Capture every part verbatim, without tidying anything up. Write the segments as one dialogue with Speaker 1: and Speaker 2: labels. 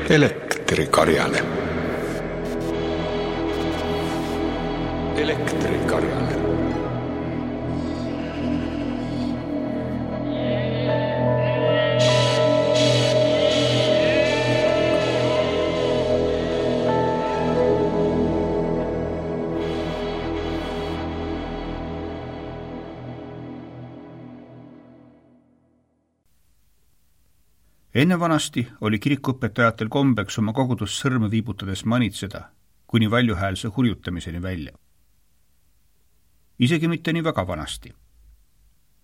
Speaker 1: Elektrikarjane. Elektrikarjane.
Speaker 2: Enne vanasti oli kirikuõpetajatel kombeks oma kogudust sõrme viibutades manitseda kuni valjuhäälse hurjutamiseni välja. Isegi mitte nii väga vanasti.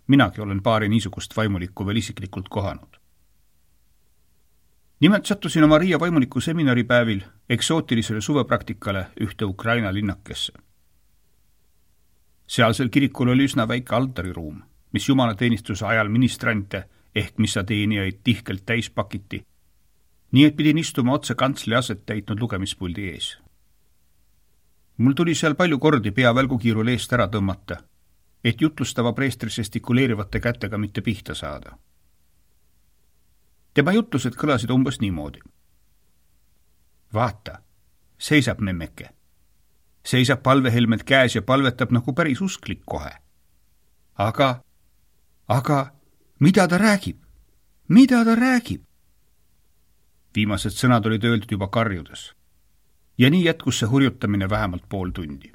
Speaker 2: Minagi olen paari niisugust vaimulikku veel isiklikult kohanud. Nimelt sattusin oma Riia vaimuliku seminaripäevil eksootilisele suvepraktikale ühte Ukraina linnakesse. Sealsel kirikul oli üsna väike altariruum, mis jumalateenistuse ajal ministrante ehk missa teenijaid tihkelt täis pakiti, nii et pidin istuma otse kantsli aset täitnud lugemispuldi ees. Mul tuli seal palju kordi pea välgukiirul eest ära tõmmata, et jutlustava preestri žestikuleerivate kätega mitte pihta saada. Tema jutlused kõlasid umbes niimoodi. Vaata, seisab memmeke. Seisab palvehelmed käes ja palvetab nagu päris usklik kohe. Aga, aga mida ta räägib? Mida ta räägib? Viimased sõnad olid öeldud juba karjudes. Ja nii jätkus see hurjutamine vähemalt pool tundi.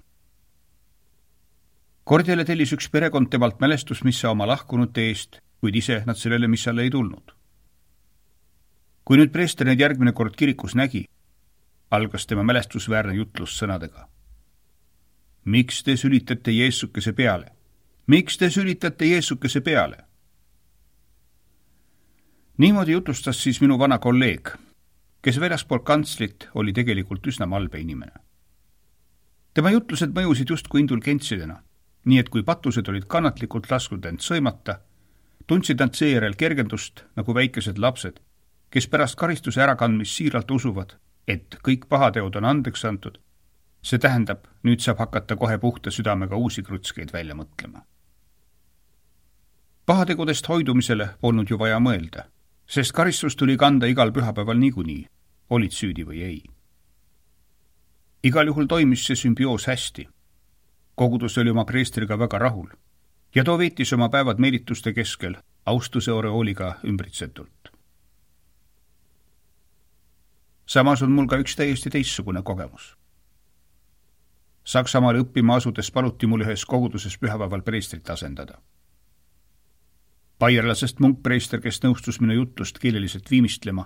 Speaker 2: Kordjale tellis üks perekond temalt mälestusmissa oma lahkunute eest, kuid ise nad sellele missale ei tulnud. Kui nüüd preester neid järgmine kord kirikus nägi, algas tema mälestusväärne jutlus sõnadega. Miks te sülitate Jeesukese peale? Miks te sülitate Jeesukese peale? Niimoodi jutlustas siis minu vana kolleeg, kes väljaspool kantslit oli tegelikult üsna malbe inimene. Tema jutlused mõjusid justkui indulgentsidena, nii et kui patused olid kannatlikult lasknud end sõimata, tundsid nad seejärel kergendust nagu väikesed lapsed, kes pärast karistuse ärakandmist siiralt usuvad, et kõik pahateod on andeks antud. See tähendab, nüüd saab hakata kohe puhta südamega uusi krutskeid välja mõtlema. Pahategudest hoidumisele polnud ju vaja mõelda, sest karistus tuli kanda igal pühapäeval niikuinii, olid süüdi või ei. Igal juhul toimis see sümbioos hästi. Kogudus oli oma preestriga väga rahul ja too veetis oma päevad meelituste keskel austuse oreooliga ümbritsetult. Samas on mul ka üks täiesti teissugune kogemus. Saksamaal õppima asudes paluti mul ühes koguduses pühapäeval preestrit asendada. Baierlasest munkpreester, kes nõustus minu jutlust keeleliselt viimistlema,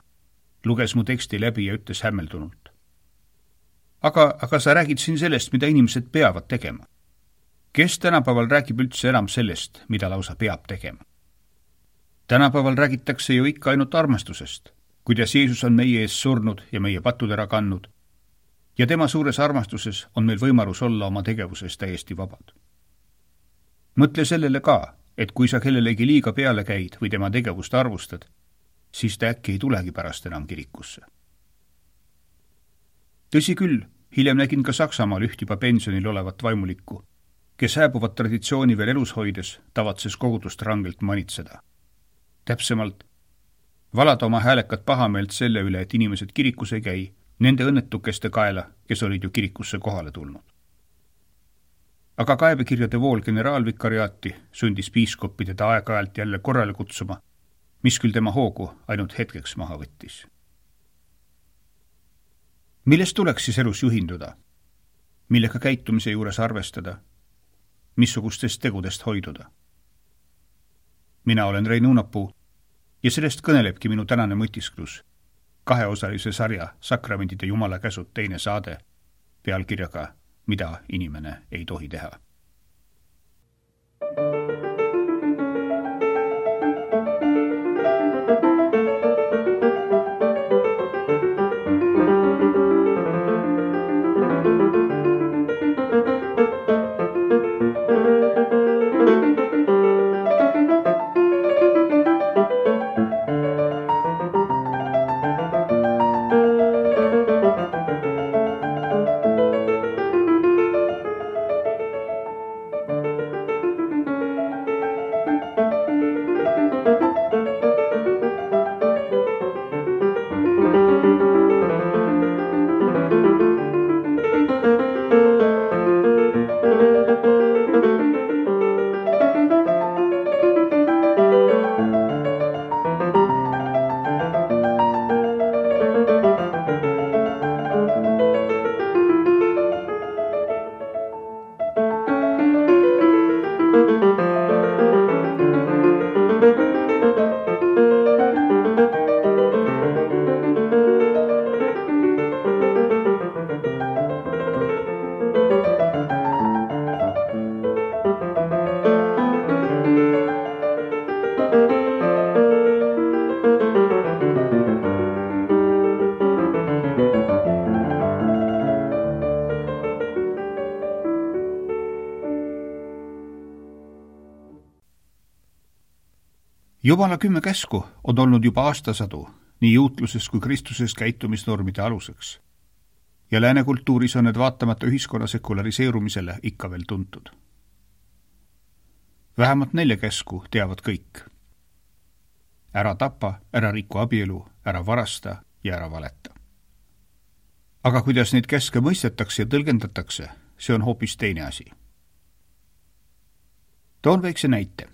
Speaker 2: luges mu teksti läbi ja ütles hämmeldunult. Aga, aga sa räägid siin sellest, mida inimesed peavad tegema. Kes tänapäeval räägib üldse enam sellest, mida lausa peab tegema? Tänapäeval räägitakse ju ikka ainult armastusest, kuidas Jeesus on meie ees surnud ja meie patud ära kannud, ja tema suures armastuses on meil võimalus olla oma tegevuses täiesti vabad. Mõtle sellele ka, et kui sa kellelegi liiga peale käid või tema tegevust arvustad, siis ta äkki ei tulegi pärast enam kirikusse. Tõsi küll, hiljem nägin ka Saksamaal üht juba pensionil olevat vaimulikku, kes hääbuvat traditsiooni veel elus hoides tavatses kogudust rangelt manitseda. Täpsemalt, valada oma häälekat pahameelt selle üle, et inimesed kirikus ei käi, nende õnnetukeste kaela, kes olid ju kirikusse kohale tulnud. Aga kaebekirjade vool generaalvikariaati sundis piiskoppi teda aeg-ajalt jälle korrale kutsuma, mis küll tema hoogu ainult hetkeks maha võttis. Millest tuleks siis elus juhinduda? Millega käitumise juures arvestada? Missugustest tegudest hoiduda? Mina olen Rein Uunapuu ja sellest kõnelebki minu tänane mõtisklus, kaheosalise sarja Sakramendide Jumala käsud teine saade pealkirjaga Mida inimene ei tohi teha. Jumala kümme käsku on olnud juba aastasadu nii juutluses kui Kristuses käitumisnormide aluseks. Ja lääne kultuuris on need vaatamata ühiskonna sekulariseerumisele ikka veel tuntud. Vähemalt nelja käsku teavad kõik. Ära tapa, ära riku abielu, ära varasta ja ära valeta. Aga kuidas neid käske mõistetakse ja tõlgendatakse, see on hoopis teine asi. Toon väikse näite.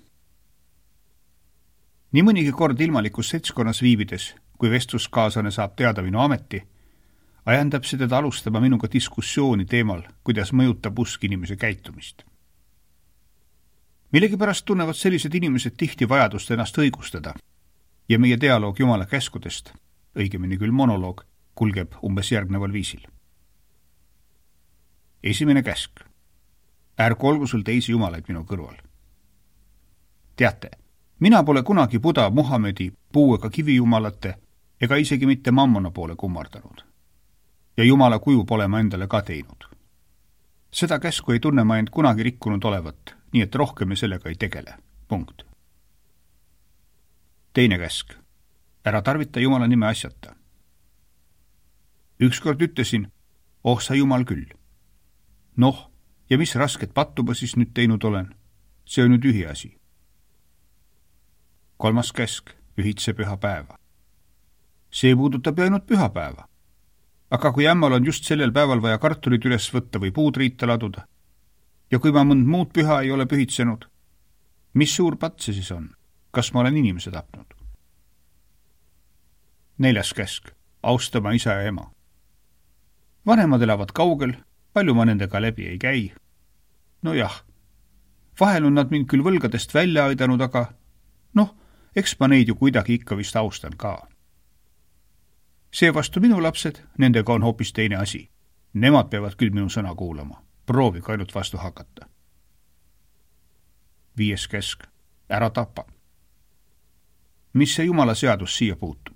Speaker 2: Nii mõnigi kord ilmalikus seltskonnas viibides, kui vestluskaaslane saab teada minu ameti, ajendab see teda alustama minuga diskussiooni teemal, kuidas mõjutab usk inimese käitumist. Millegipärast tunnevad sellised inimesed tihti vajadust ennast õigustada ja meie dialoog Jumala käskudest, õigemini küll monoloog, kulgeb umbes järgneval viisil. Esimene käsk. Ärgu olgu sul teisi jumalaid minu kõrval. Teate, mina pole kunagi Buda, Muhamedi, puu- ega kivijumalate ega isegi mitte mammona poole kummardanud. Ja jumala kuju pole ma endale ka teinud. Seda käsku ei tunne ma end kunagi rikkunud olevat, nii et rohkem me sellega ei tegele. Punkt. Teine käsk. Ära tarvita Jumala nime asjata. Ükskord ütlesin, oh sa Jumal küll. Noh, ja mis rasket pattu ma siis nüüd teinud olen? See on nüüd ühi asi. Kolmas käsk. Ühitse pühapäeva. See puudutab ju ainult pühapäeva. Aga kui ämmal on just sellel päeval vaja kartulit üles võtta või puud riita laduda, ja kui ma mõnd muud püha ei ole pühitsenud, mis suur patt see siis on? Kas ma olen inimese tapnud? Neljas käsk. Austama isa ja ema. Vanemad elavad kaugel, palju ma nendega läbi ei käi. No jah, vahel on nad mind küll võlgadest välja aidanud, aga noh, eks ma neid ju kuidagi ikka vist austan ka. Seevastu minu lapsed, nendega on hoopis teine asi. Nemad peavad küll minu sõna kuulama. Proovige ainult vastu hakata. Viies käsk. Ära tapa. Mis see Jumala seadus siia puutub?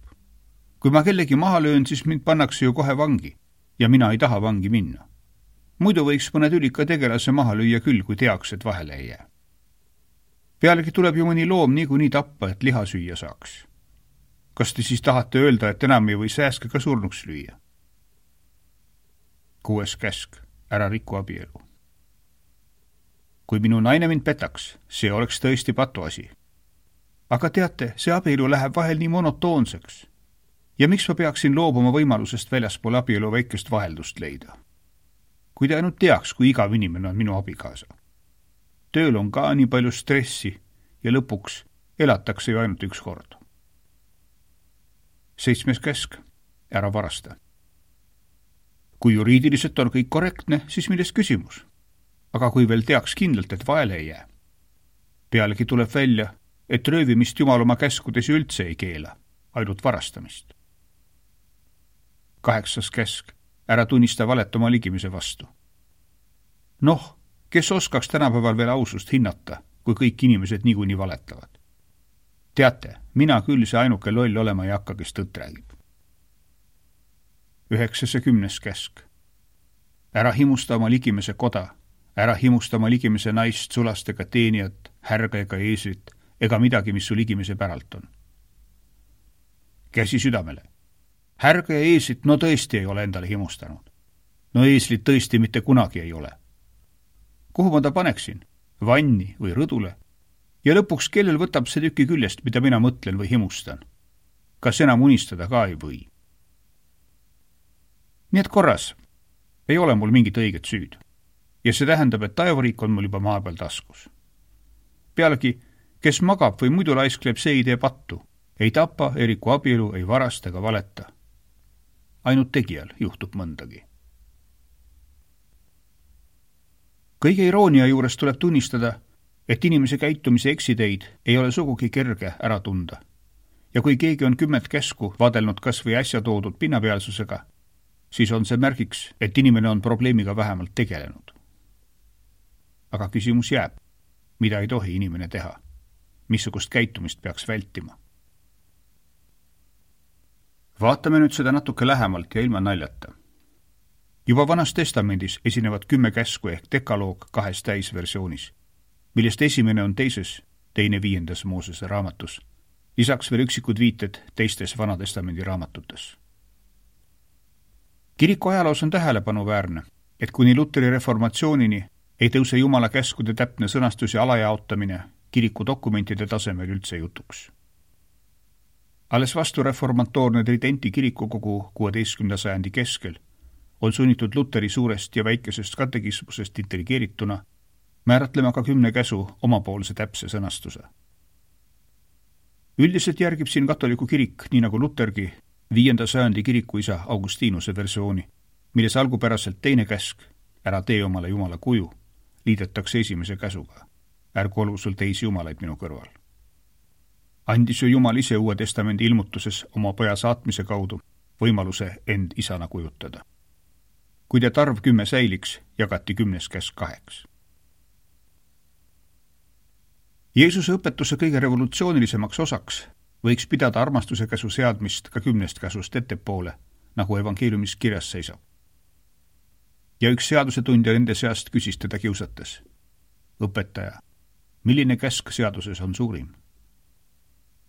Speaker 2: Kui ma kellegi maha löön, siis mind pannakse ju kohe vangi ja mina ei taha vangi minna. Muidu võiks mõned ülika tegelase maha lüüa küll, kui teaks, et vahele ei jää. Pealegi tuleb ju mõni loom niikuinii tappa, et liha süüa saaks. Kas te siis tahate öelda, et enam ei või sääske ka surnuks lüüa? Kuues käsk. Ära riku abielu. Kui minu naine mind petaks, see oleks tõesti patuasi. Aga teate, see abielu läheb vahel nii monotoonseks. Ja miks ma peaksin loobuma võimalusest väljaspool abielu väikest vaheldust leida? Kui te ainult teaks, kui igav inimene on minu abikaasa. Tööl on ka nii palju stressi ja lõpuks elatakse ju ainult üks kord. Seitsmes käsk. Ära varasta. Kui juriidiliselt on kõik korrektne, siis milles küsimus? Aga kui veel teaks kindlalt, et vaele ei jää. Pealegi tuleb välja, et röövimist Jumal oma käskudes üldse ei keela, ainult varastamist. Kaheksas käsk. Ära tunnista valet oma ligimise vastu. Noh, kes oskaks tänapäeval veel ausust hinnata, kui kõik inimesed niikuinii valetavad? Teate, mina küll see ainuke loll olema ei hakka, kes tõtt räägib. Üheksas ja kümnes käsk. Ära himusta oma ligimese koda, ära himusta oma ligimese naist, sulastega teenijat, härga ega eeslit, ega midagi, mis su ligimese päralt on. Käsi südamele. Härga ja eeslit no tõesti ei ole endale himustanud. No eeslit tõesti mitte kunagi ei ole. Kuhu ma ta paneksin? Vanni või rõdule? Ja lõpuks kellel võtab see tüki küljest, mida mina mõtlen või himustan? Kas enam unistada ka ei või? Nii et korras, ei ole mul mingit õiget süüd. Ja see tähendab, et taevariik on mul juba maa peal taskus. Pealegi, kes magab või muidu laiskleb, see ei tee pattu. Ei tapa, ei riku abielu, ei varasta ega valeta. Ainult tegijal juhtub mõndagi. Kõige iroonia juures tuleb tunnistada, et inimese käitumise eksiteid ei ole sugugi kerge ära tunda. Ja kui keegi on kümmet käsku vadelnud kas või äsja toodud pinnapealsusega, siis on see märgiks, et inimene on probleemiga vähemalt tegelenud. Aga küsimus jääb, mida ei tohi inimene teha, missugust käitumist peaks vältima. Vaatame nüüd seda natuke lähemalt ja ilma naljata. Juba Vanas Testamendis esinevad kümme käsku ehk dekaloog kahes täisversioonis, millest esimene on teises, teine viiendas Moosese raamatus lisaks veel üksikud viited teistes Vanatestamendi raamatutes. Kiriku ajaloos on tähelepanuväärne, et kuni Luteri reformatsioonini ei tõuse Jumala käskude täpne sõnastus ja alajaotamine kiriku dokumentide tasemel üldse jutuks. Alles vastu reformatoorne Tridenti kirikukogu kuueteistkümnenda sajandi keskel on sunnitud Luteri suurest ja väikesest katekismusest intrigeerituna määratlema ka kümne käsu omapoolse täpse sõnastuse. Üldiselt järgib siin katoliku kirik, nii nagu Lutergi, viienda sajandi kirikuisa Augustinuse versiooni, milles algupäraselt teine käsk, ära tee omale Jumala kuju, liidetakse esimese käsuga, ärgu olgu sul teisi jumalaid minu kõrval. Andis ju Jumal ise Uue Testamendi ilmutuses oma poja saatmise kaudu võimaluse end isana kujutada. Kui te tarv kümme säiliks, jagati kümnes käsk kaheks. Jeesuse õpetuse kõige revolutsioonilisemaks osaks võiks pidada armastuse käsu seadmist ka kümnest käsust ettepoole, nagu evangeeliumis kirjas seisab. Ja üks seadusetundja nende seast küsis teda kiusates. Õpetaja, milline käsk seaduses on suurim?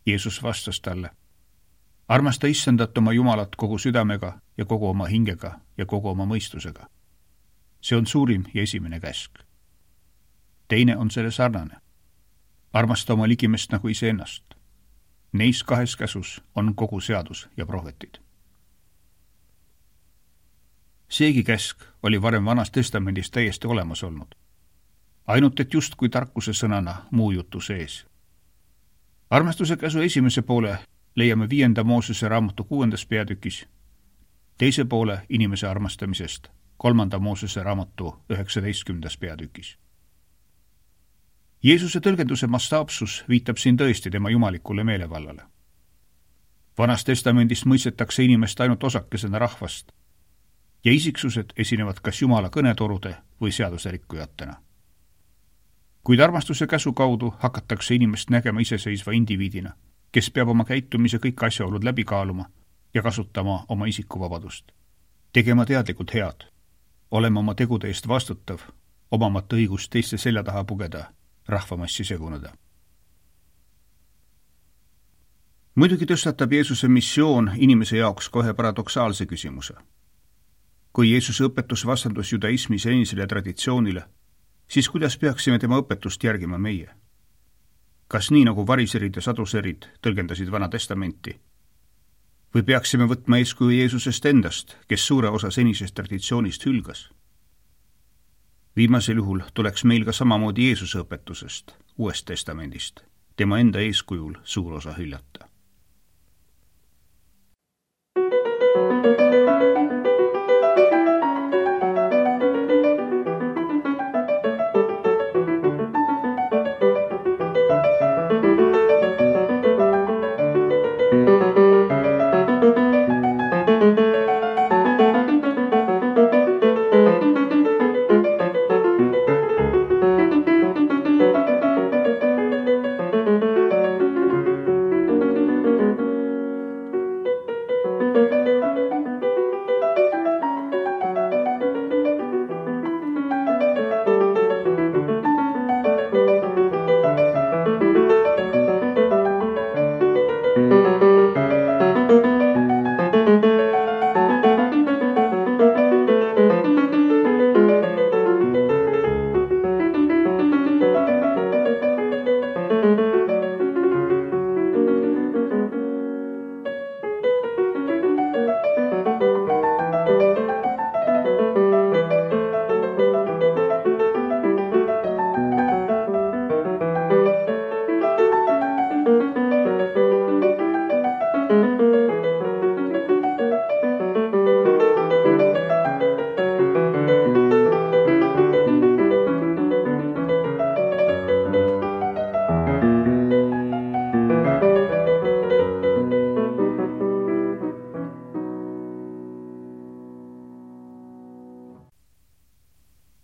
Speaker 2: Jeesus vastas talle, armasta issandat oma Jumalat kogu südamega ja kogu oma hingega ja kogu oma mõistusega. See on suurim ja esimene käsk. Teine on selle sarnane. Armasta oma ligimest nagu iseennast. Neis kahes käsus on kogu seadus ja prohvetid. Seegi käsk oli varem Vanas Testamendis täiesti olemas olnud. Ainult et just kui tarkuse sõnana muu jutu sees. Armastuse käsu esimese poole leiame viienda Moosese raamatu kuuendas peatükis, teise poole inimese armastamisest kolmanda Moosese raamatu üheksateistkümnendas peatükis. Jeesuse tõlgenduse mastaapsus viitab siin tõesti tema jumalikule meelevallale. Vanas Testamendist mõistetakse inimest ainult osakesena rahvast ja isiksused esinevad kas Jumala kõnetorude või seaduserikkujatena. Kuid armastuse käsu kaudu hakatakse inimest nägema iseseisva indiviidina, kes peab oma käitumise kõik asjaolud läbi kaaluma ja kasutama oma isikuvabadust. Tegema teadlikult head, olema oma tegude eest vastutav, omamata õigust teiste selja taha pugeda, rahvamassi seguneda. Muidugi tõstatab Jeesuse missioon inimese jaoks kohe paradoksaalse küsimuse. Kui Jeesuse õpetus vastandus judaismi senisele traditsioonile, siis kuidas peaksime tema õpetust järgima meie? Kas nii nagu variserid ja saduserid tõlgendasid Vana Testamenti? Või peaksime võtma eeskuju Jeesusest endast, kes suure osa senisest traditsioonist hülgas? Viimasel juhul tuleks meil ka samamoodi Jeesuse õpetusest, Uuest Testamendist, tema enda eeskujul suur osa hüljata.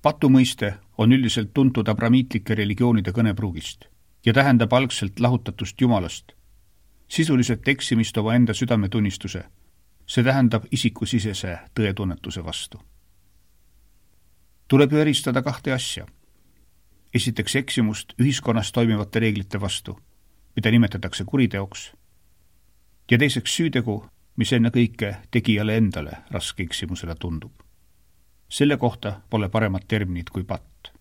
Speaker 2: Patumõiste on üldiselt tuntud abramiitlike religioonide kõnepruugist ja tähendab algselt lahutatust Jumalast, sisuliselt eksimist oma enda südametunnistuse, see tähendab isikusisese tõetunnetuse vastu. Tuleb ju eristada kahte asja. Esiteks eksimust ühiskonnas toimivate reeglite vastu mida nimetatakse kuriteoks, ja teiseks süütegu, mis enne kõike tegijale endale raske eksimusele tundub. Selle kohta pole paremat terminit kui patt.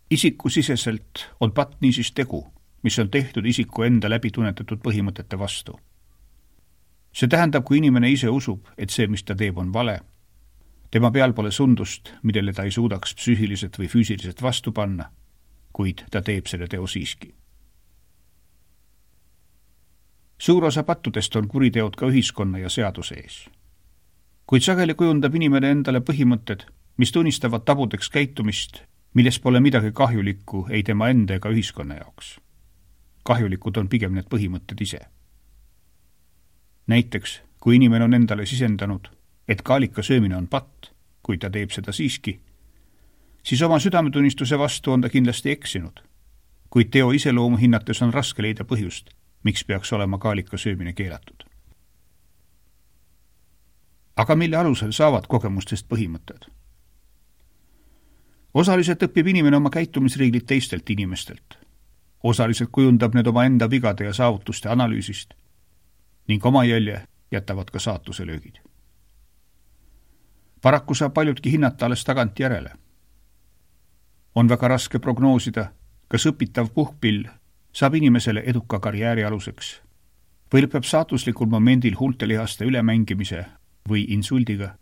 Speaker 2: Isiku siseselt on patt niisiis tegu, mis on tehtud isiku enda läbi tunnetatud põhimõtete vastu. See tähendab, kui inimene ise usub, et see, mis ta teeb, on vale, tema peal pole sundust, millele ta ei suudaks psüühiliselt või füüsiliselt vastu panna, kuid ta teeb selle teo siiski. Suur osa pattudest on kuriteod ka ühiskonna ja seaduse ees. Kuid sageli kujundab inimene endale põhimõtted, mis tunnistavad tabudeks käitumist, milles pole midagi kahjulikku ei tema enda ega ühiskonna jaoks. Kahjulikud on pigem need põhimõtted ise. Näiteks, kui inimene on endale sisendanud, et kaalika söömine on patt, kui ta teeb seda siiski, siis oma südametunnistuse vastu on ta kindlasti eksinud, kuid teo iseloomu hinnates on raske leida põhjust, miks peaks olema kaalika söömine keelatud. Aga mille alusel saavad kogemustest põhimõtted? Osaliselt õpib inimene oma käitumisreeglid teistelt inimestelt. Osaliselt kujundab need oma enda vigade ja saavutuste analüüsist ning oma jälje jätavad ka saatuse löögid. Paraku saab paljudki hinnata alles tagant järele. On väga raske prognoosida, kas õpitav puhkpill saab inimesele eduka karjääri aluseks või lõpeb saatuslikul momendil huultelihaste ülemängimise või insuldiga.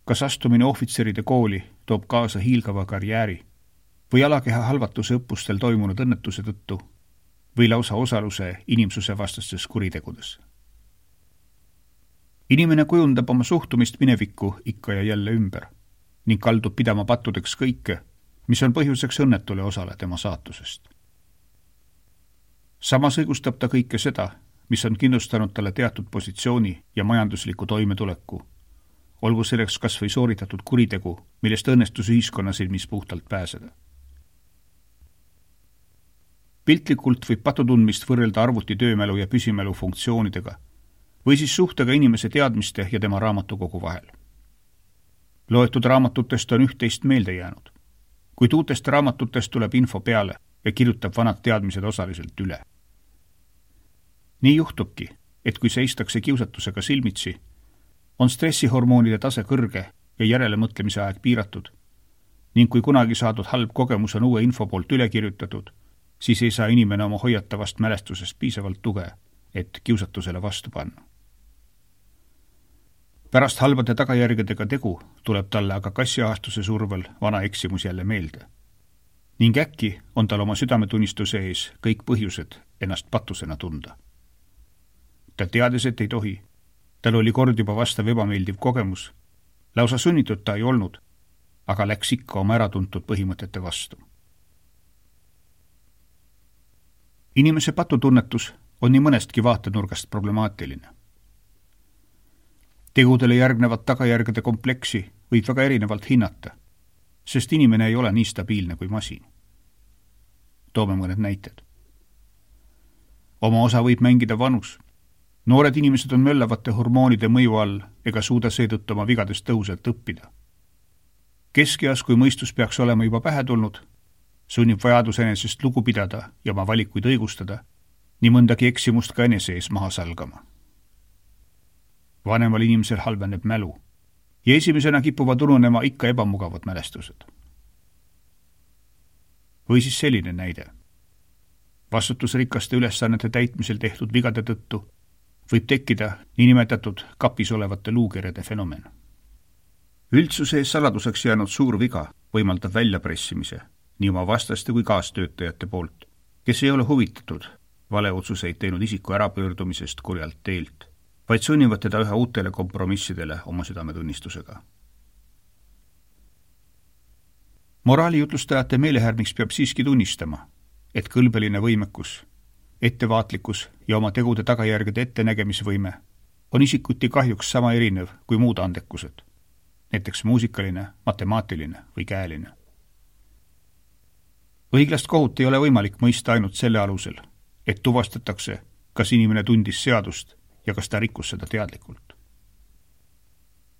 Speaker 2: Kas astumine ohvitseride kooli toob kaasa hiilgava karjääri või alakeha halvatuse õppustel toimunud õnnetuse tõttu või lausa osaluse inimsuse vastastes kuritegudes. Inimene kujundab oma suhtumist minevikku ikka ja jälle ümber ning kaldub pidama pattudeks kõike, mis on põhjuseks õnnetule osale tema saatusest. Samas õigustab ta kõike seda, mis on kindlustanud talle teatud positsiooni ja majandusliku toimetuleku, olgu selleks kas või sooritatud kuritegu, millest õnnestus ühiskonna silmis puhtalt pääseda. Piltlikult võib patutundmist võrrelda arvuti töömälu ja püsimälu funktsioonidega või siis suhtega inimese teadmiste ja tema raamatukogu vahel. Loetud raamatutest on üht-teist meelde jäänud, kuid uutest raamatutest tuleb info peale ja kirjutab vanad teadmised osaliselt üle. Nii juhtubki, et kui seistakse kiusatusega silmitsi, on stressihormoonide tase kõrge ja järelemõtlemise aeg piiratud ning kui kunagi saadud halb kogemus on uue info poolt üle kirjutatud, siis ei saa inimene oma hoiatavast mälestusest piisavalt tuge, et kiusatusele vastu panna. Pärast halbade tagajärgedega tegu tuleb talle aga kassiahastuse survel vana eksimus jälle meelde. Ning äkki on tal oma südametunnistuse ees kõik põhjused ennast patusena tunda. Ta teades, et ei tohi. Tal oli kord juba vastav ebameeldiv kogemus. Lausa sunnitud ta ei olnud, aga läks ikka oma äratuntud põhimõtete vastu. Inimese patutunnetus on nii mõnestki vaatenurgast problemaatiline. Tegudele järgnevat tagajärgede kompleksi võib väga erinevalt hinnata, sest inimene ei ole nii stabiilne kui masin. Toome mõned näited. Oma osa võib mängida vanus. Noored inimesed on möllavate hormoonide mõju all ega suuda seetõttu oma vigadest tõhusalt õppida. Keskeas, kui mõistus peaks olema juba pähe tulnud, sunnib vajadus enesest lugu pidada ja oma valikuid õigustada, nii mõndagi eksimust ka enese ees maha salgama. Vanemal inimesel halveneb mälu ja esimesena kipuvad ununema ikka ebamugavad mälestused. Või siis selline näide. Vastutusrikaste ülesannete täitmisel tehtud vigade tõttu võib tekkida niinimetatud kapis olevate luukerede fenomen. Üldsuse ees saladuseks jäänud suur viga võimaldab väljapressimise nii oma vastaste kui kaastöötajate poolt, kes ei ole huvitatud valeotsuseid teinud isiku ärapöördumisest kurjalt teelt, vaid sunnivad teda üha uutele kompromissidele oma südametunnistusega. Moraalijutlustajate meelehärmiks peab siiski tunnistama, et kõlbeline võimekus, ettevaatlikkus ja oma tegude tagajärgede ettenägemisvõime on isikuti kahjuks sama erinev kui muud andekused, näiteks muusikaline, matemaatiline või käeline. Õiglast kohut ei ole võimalik mõista ainult selle alusel, et tuvastatakse, kas inimene tundis seadust ja kas ta rikkus seda teadlikult.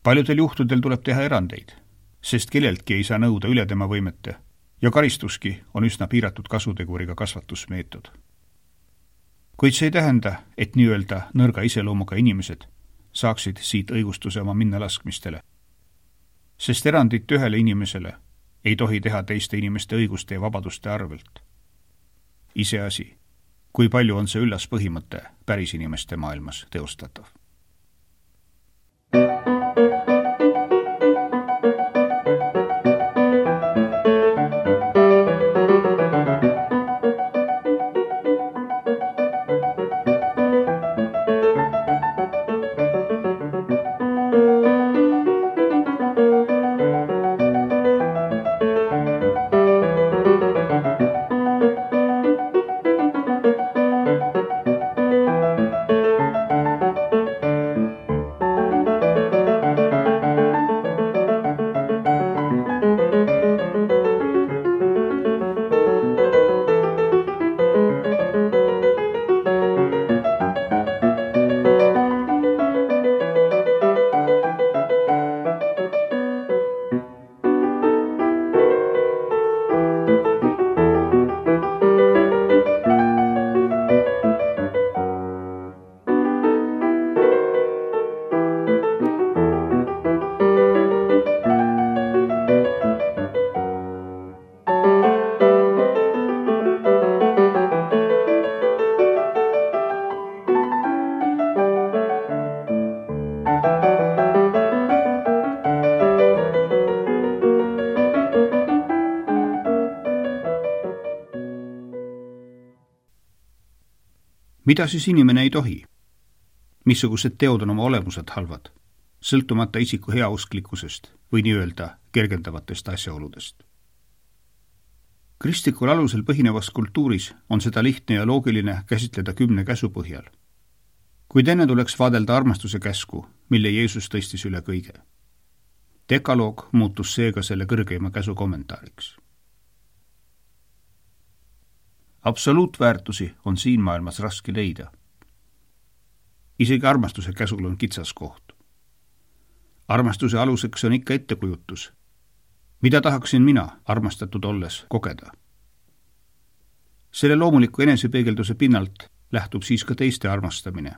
Speaker 2: Paljudel juhtudel tuleb teha erandeid, sest kelleltki ei saa nõuda üle tema võimete ja karistuski on üsna piiratud kasuteguriga kasvatusmeetod. Kuid see ei tähenda, et nii-öelda nõrga iseloomuga inimesed saaksid siit õigustuse oma minnalaskmistele, sest erandit ühele inimesele ei tohi teha teiste inimeste õiguste ja vabaduste arvelt. Iseasi, kui palju on see üllas põhimõte päris inimeste maailmas teostatav. Mida siis inimene ei tohi? Missugused teod on oma olemuselt halvad, sõltumata isiku heausklikkusest või nii-öelda kergendavatest asjaoludest? Kristlikul alusel põhinevas kultuuris on seda lihtne ja loogiline käsitleda kümne käsu põhjal. Kuid enne tuleks vaadelda armastuse käsku, mille Jeesus tõstis üle kõige. Dekaloog muutus seega selle kõrgeima käsu kommentaariks. Absoluutväärtusi on siin maailmas raske leida. Isegi armastuse käsul on kitsas koht. Armastuse aluseks on ikka ettekujutus. Mida tahaksin mina, armastatud olles, kogeda? Selle loomuliku enesepeegelduse pinnalt lähtub siis ka teiste armastamine,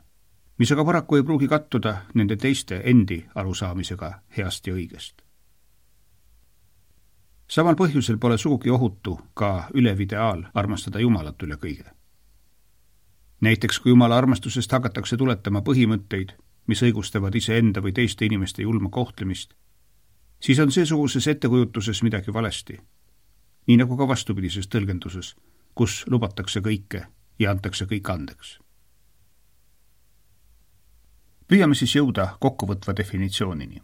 Speaker 2: mis aga paraku ei pruugi kattuda nende teiste endi arusaamisega heast ja õigest. Samal põhjusel pole sugugi ohutu ka ülevideaal armastada Jumalat üle kõige. Näiteks kui Jumala armastusest hakatakse tuletama põhimõtteid, mis õigustavad iseenda või teiste inimeste julma kohtlemist, siis on seesuguses ettekujutuses midagi valesti, nii nagu ka vastupidises tõlgenduses, kus lubatakse kõike ja antakse kõik andeks. Püüame siis jõuda kokkuvõtva definitsioonini.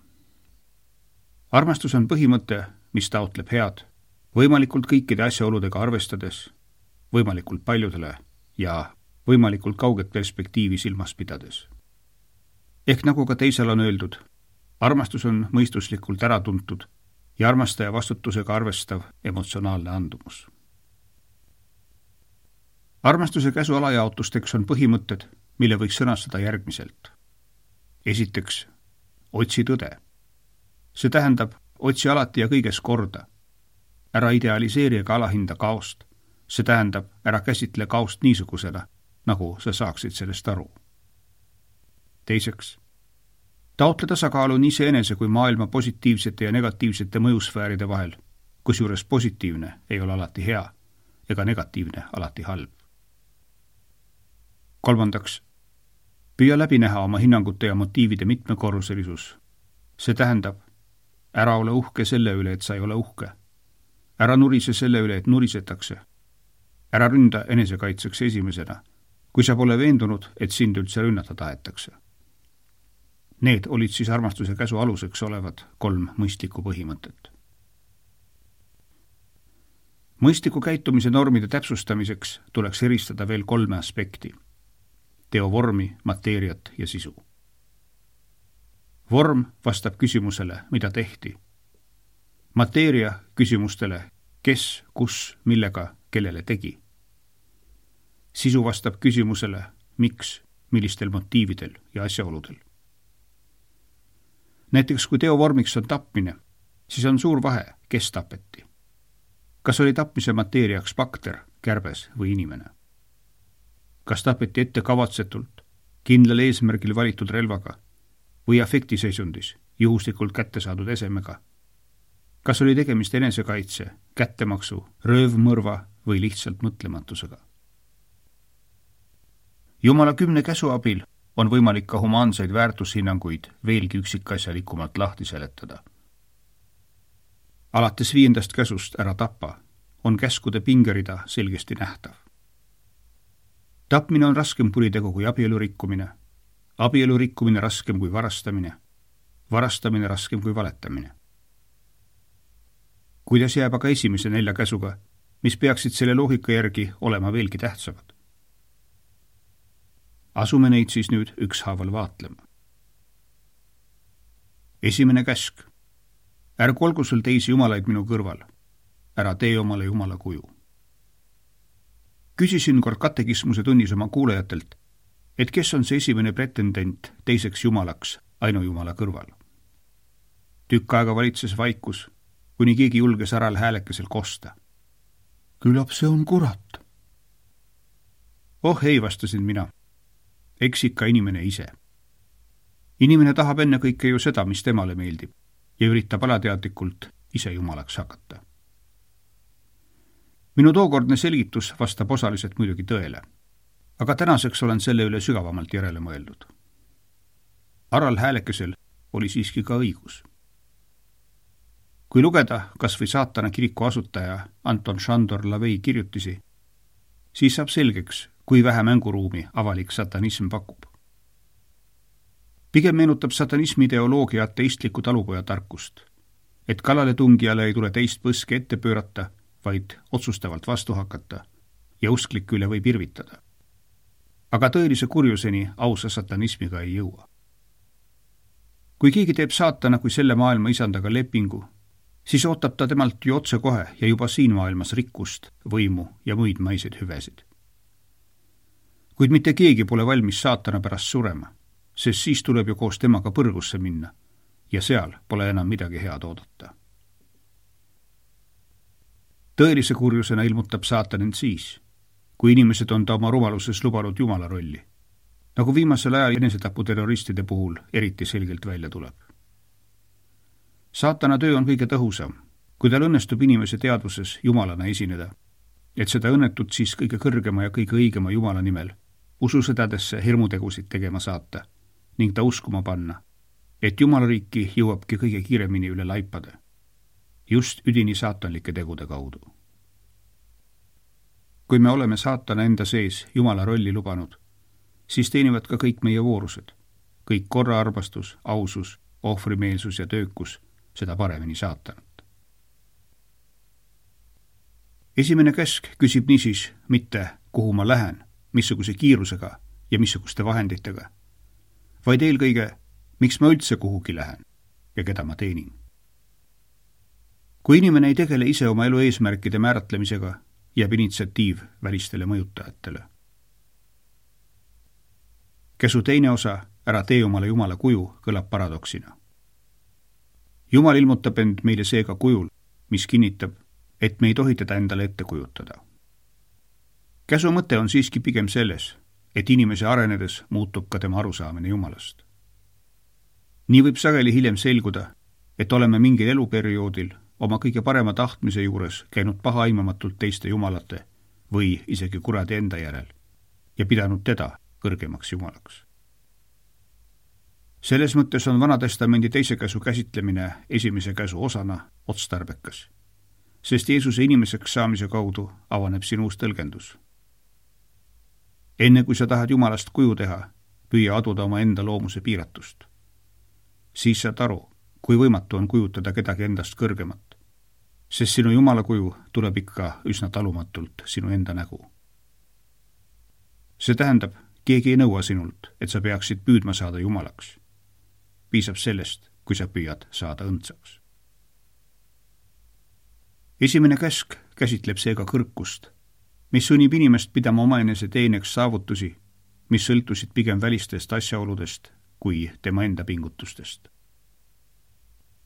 Speaker 2: Armastus on põhimõte, mis taotleb head, võimalikult kõikide asjaoludega arvestades, võimalikult paljudele ja võimalikult kauget perspektiivi silmas pidades. Ehk nagu ka teisel on öeldud, armastus on mõistuslikult äratuntud ja armastaja vastutusega arvestav emotsionaalne andumus. Armastuse käsu alajaotusteks on põhimõtted, mille võiks sõnastada järgmiselt. Esiteks, otsi tõde. See tähendab, otsi alati ja kõiges korda. Ära idealiseeri ega alahinda kaost. See tähendab, ära käsitle kaost niisugusena, nagu sa saaksid sellest aru. Teiseks, taotle tasakaalu nii iseenese kui maailma positiivsete ja negatiivsete mõjusfääride vahel, kusjuures positiivne ei ole alati hea ega negatiivne alati halb. Kolmandaks, püüa läbi näha oma hinnangute ja motiivide mitmekorruselisus. See tähendab, ära ole uhke selle üle, et sa ei ole uhke. Ära nurise selle üle, et nurisetakse. Ära ründa enesekaitseks esimesena, kui sa pole veendunud, et sind üldse rünnata tahetakse. Need olid siis armastuse käsu aluseks olevad kolm mõistlikku põhimõtet. Mõistliku käitumise normide täpsustamiseks tuleks eristada veel kolme aspekti. Teovormi, mateeriat ja sisu. Vorm vastab küsimusele, mida tehti. Mateeria küsimustele, kes, kus, millega, kellele tegi. Sisu vastab küsimusele, miks, millistel motiividel ja asjaoludel. Näiteks kui teovormiks on tapmine, siis on suur vahe, kes tapeti. kas oli tapmise mateeriaks bakter, kärbes või inimene? Kas tapeti ette kavatsetult, kindlal eesmärgil valitud relvaga või afektiseisundis, juhuslikult kätte saadud esemega? Kas oli tegemist enesekaitse, kättemaksu, röövmõrva või lihtsalt mõtlematusega? Jumala kümne käsu abil on võimalik ka humaanseid väärtushinnanguid veelgi üksikasjalikumalt lahti seletada. Alates viiendast käsust ära tappa on käskude pingerida selgesti nähtav. Tapmine on raskem kuritegu kui abielu rikkumine, abielu rikkumine raskem kui varastamine, varastamine raskem kui valetamine. Kuidas jääb aga esimese nelja käsuga, mis peaksid selle loogika järgi olema veelgi tähtsamad? Asume neid siis nüüd ükshaaval vaatlema. Esimene käsk. Ärgu olgu sul teisi jumalaid minu kõrval. Ära tee omale jumala kuju. Küsisin kord katekismuse tunnis oma kuulajatelt, et kes on see esimene pretendent teiseks jumalaks ainujumala kõrval. Tükk aega valitses vaikus, kuni keegi julges äral häälekesel kosta. Küllap see on kurat. Oh ei, vastasin mina. Eks ikka inimene ise. Inimene tahab enne kõike ju seda, mis temale meeldib, ja üritab alateadlikult ise jumalaks hakata. Minu tookordne selgitus vastab osaliselt muidugi tõele, aga tänaseks olen selle üle sügavamalt järele mõeldud. Aral häälekesel oli siiski ka õigus. Kui lugeda kas või saatana kiriku asutaja Anton Šandor Lavei kirjutisi, siis saab selgeks, kui vähe mänguruumi avalik satanism pakub. Pigem meenutab satanismi ideoloogia ateistliku talupoja tarkust, et kallale tungijale ei tule teist põske ette pöörata, vaid otsustavalt vastu hakata ja usklik üle võib irvitada. Aga tõelise kurjuseni ausa satanismiga ei jõua. Kui keegi teeb saatana kui selle maailma isandaga lepingu, siis ootab ta temalt ju otse kohe ja juba siin maailmas rikkust, võimu ja muid maiseid hüvesid. Kuid mitte keegi pole valmis saatana pärast surema, sest siis tuleb ju koos temaga põrgusse minna ja seal pole enam midagi head oodata. Tõelise kurjusena ilmutab saatan end siis, kui inimesed on ta oma rumaluses lubanud jumala rolli, nagu viimasel ajal enesetaputerroristide puhul eriti selgelt välja tuleb. Saatana töö on kõige tõhusam, kui tal õnnestub inimese teadvuses jumalana esineda, et seda õnnetut siis kõige kõrgema ja kõige õigema jumala nimel ususõdadesse hirmutegusid tegema saata ning ta uskuma panna, et jumalariiki jõuabki kõige kiiremini üle laipade, just üdini saatanlike tegude kaudu. Kui me oleme saatana enda sees jumala rolli lubanud, siis teenivad ka kõik meie voorused, kõik korraarmastus, ausus, ohvrimeelsus ja töökus, seda paremini saatanat. Esimene käsk küsib niisiis mitte, kuhu ma lähen, missuguse kiirusega ja missuguste vahenditega, vaid eelkõige, miks ma üldse kuhugi lähen ja keda ma teenin. Kui inimene ei tegele ise oma elu eesmärkide määratlemisega, jääb initsiatiiv välistele mõjutajatele. Käsu teine osa, ära tee omale jumala kuju, kõlab paradoksina. Jumal ilmutab end meile seega kujul, mis kinnitab, et me ei tohi teda endale ette kujutada. Käsu mõte on siiski pigem selles, et inimese arenedes muutub ka tema arusaamine jumalast. Nii võib sageli hiljem selguda, et oleme mingil eluperioodil oma kõige parema tahtmise juures käinud pahaaimamatult teiste jumalate või isegi kuradi enda järel ja pidanud teda kõrgemaks jumalaks. Selles mõttes on Vanatestamendi teise käsu käsitlemine esimese käsu osana otstarbekas, sest Jeesuse inimeseks saamise kaudu avaneb siin uus tõlgendus. Enne kui sa tahad jumalast kuju teha, püüa aduda oma enda loomuse piiratust. Siis saad aru, kui võimatu on kujutada kedagi endast kõrgemat, sest sinu jumala kuju tuleb ikka üsna talumatult sinu enda nägu. See tähendab, keegi ei nõua sinult, et sa peaksid püüdma saada jumalaks. Piisab sellest, kui sa püüad saada õndsaks. Esimene käsk käsitleb seega kõrkust, mis sunnib inimest pidama omaenese teeneks saavutusi, mis sõltusid pigem välistest asjaoludest kui tema enda pingutustest.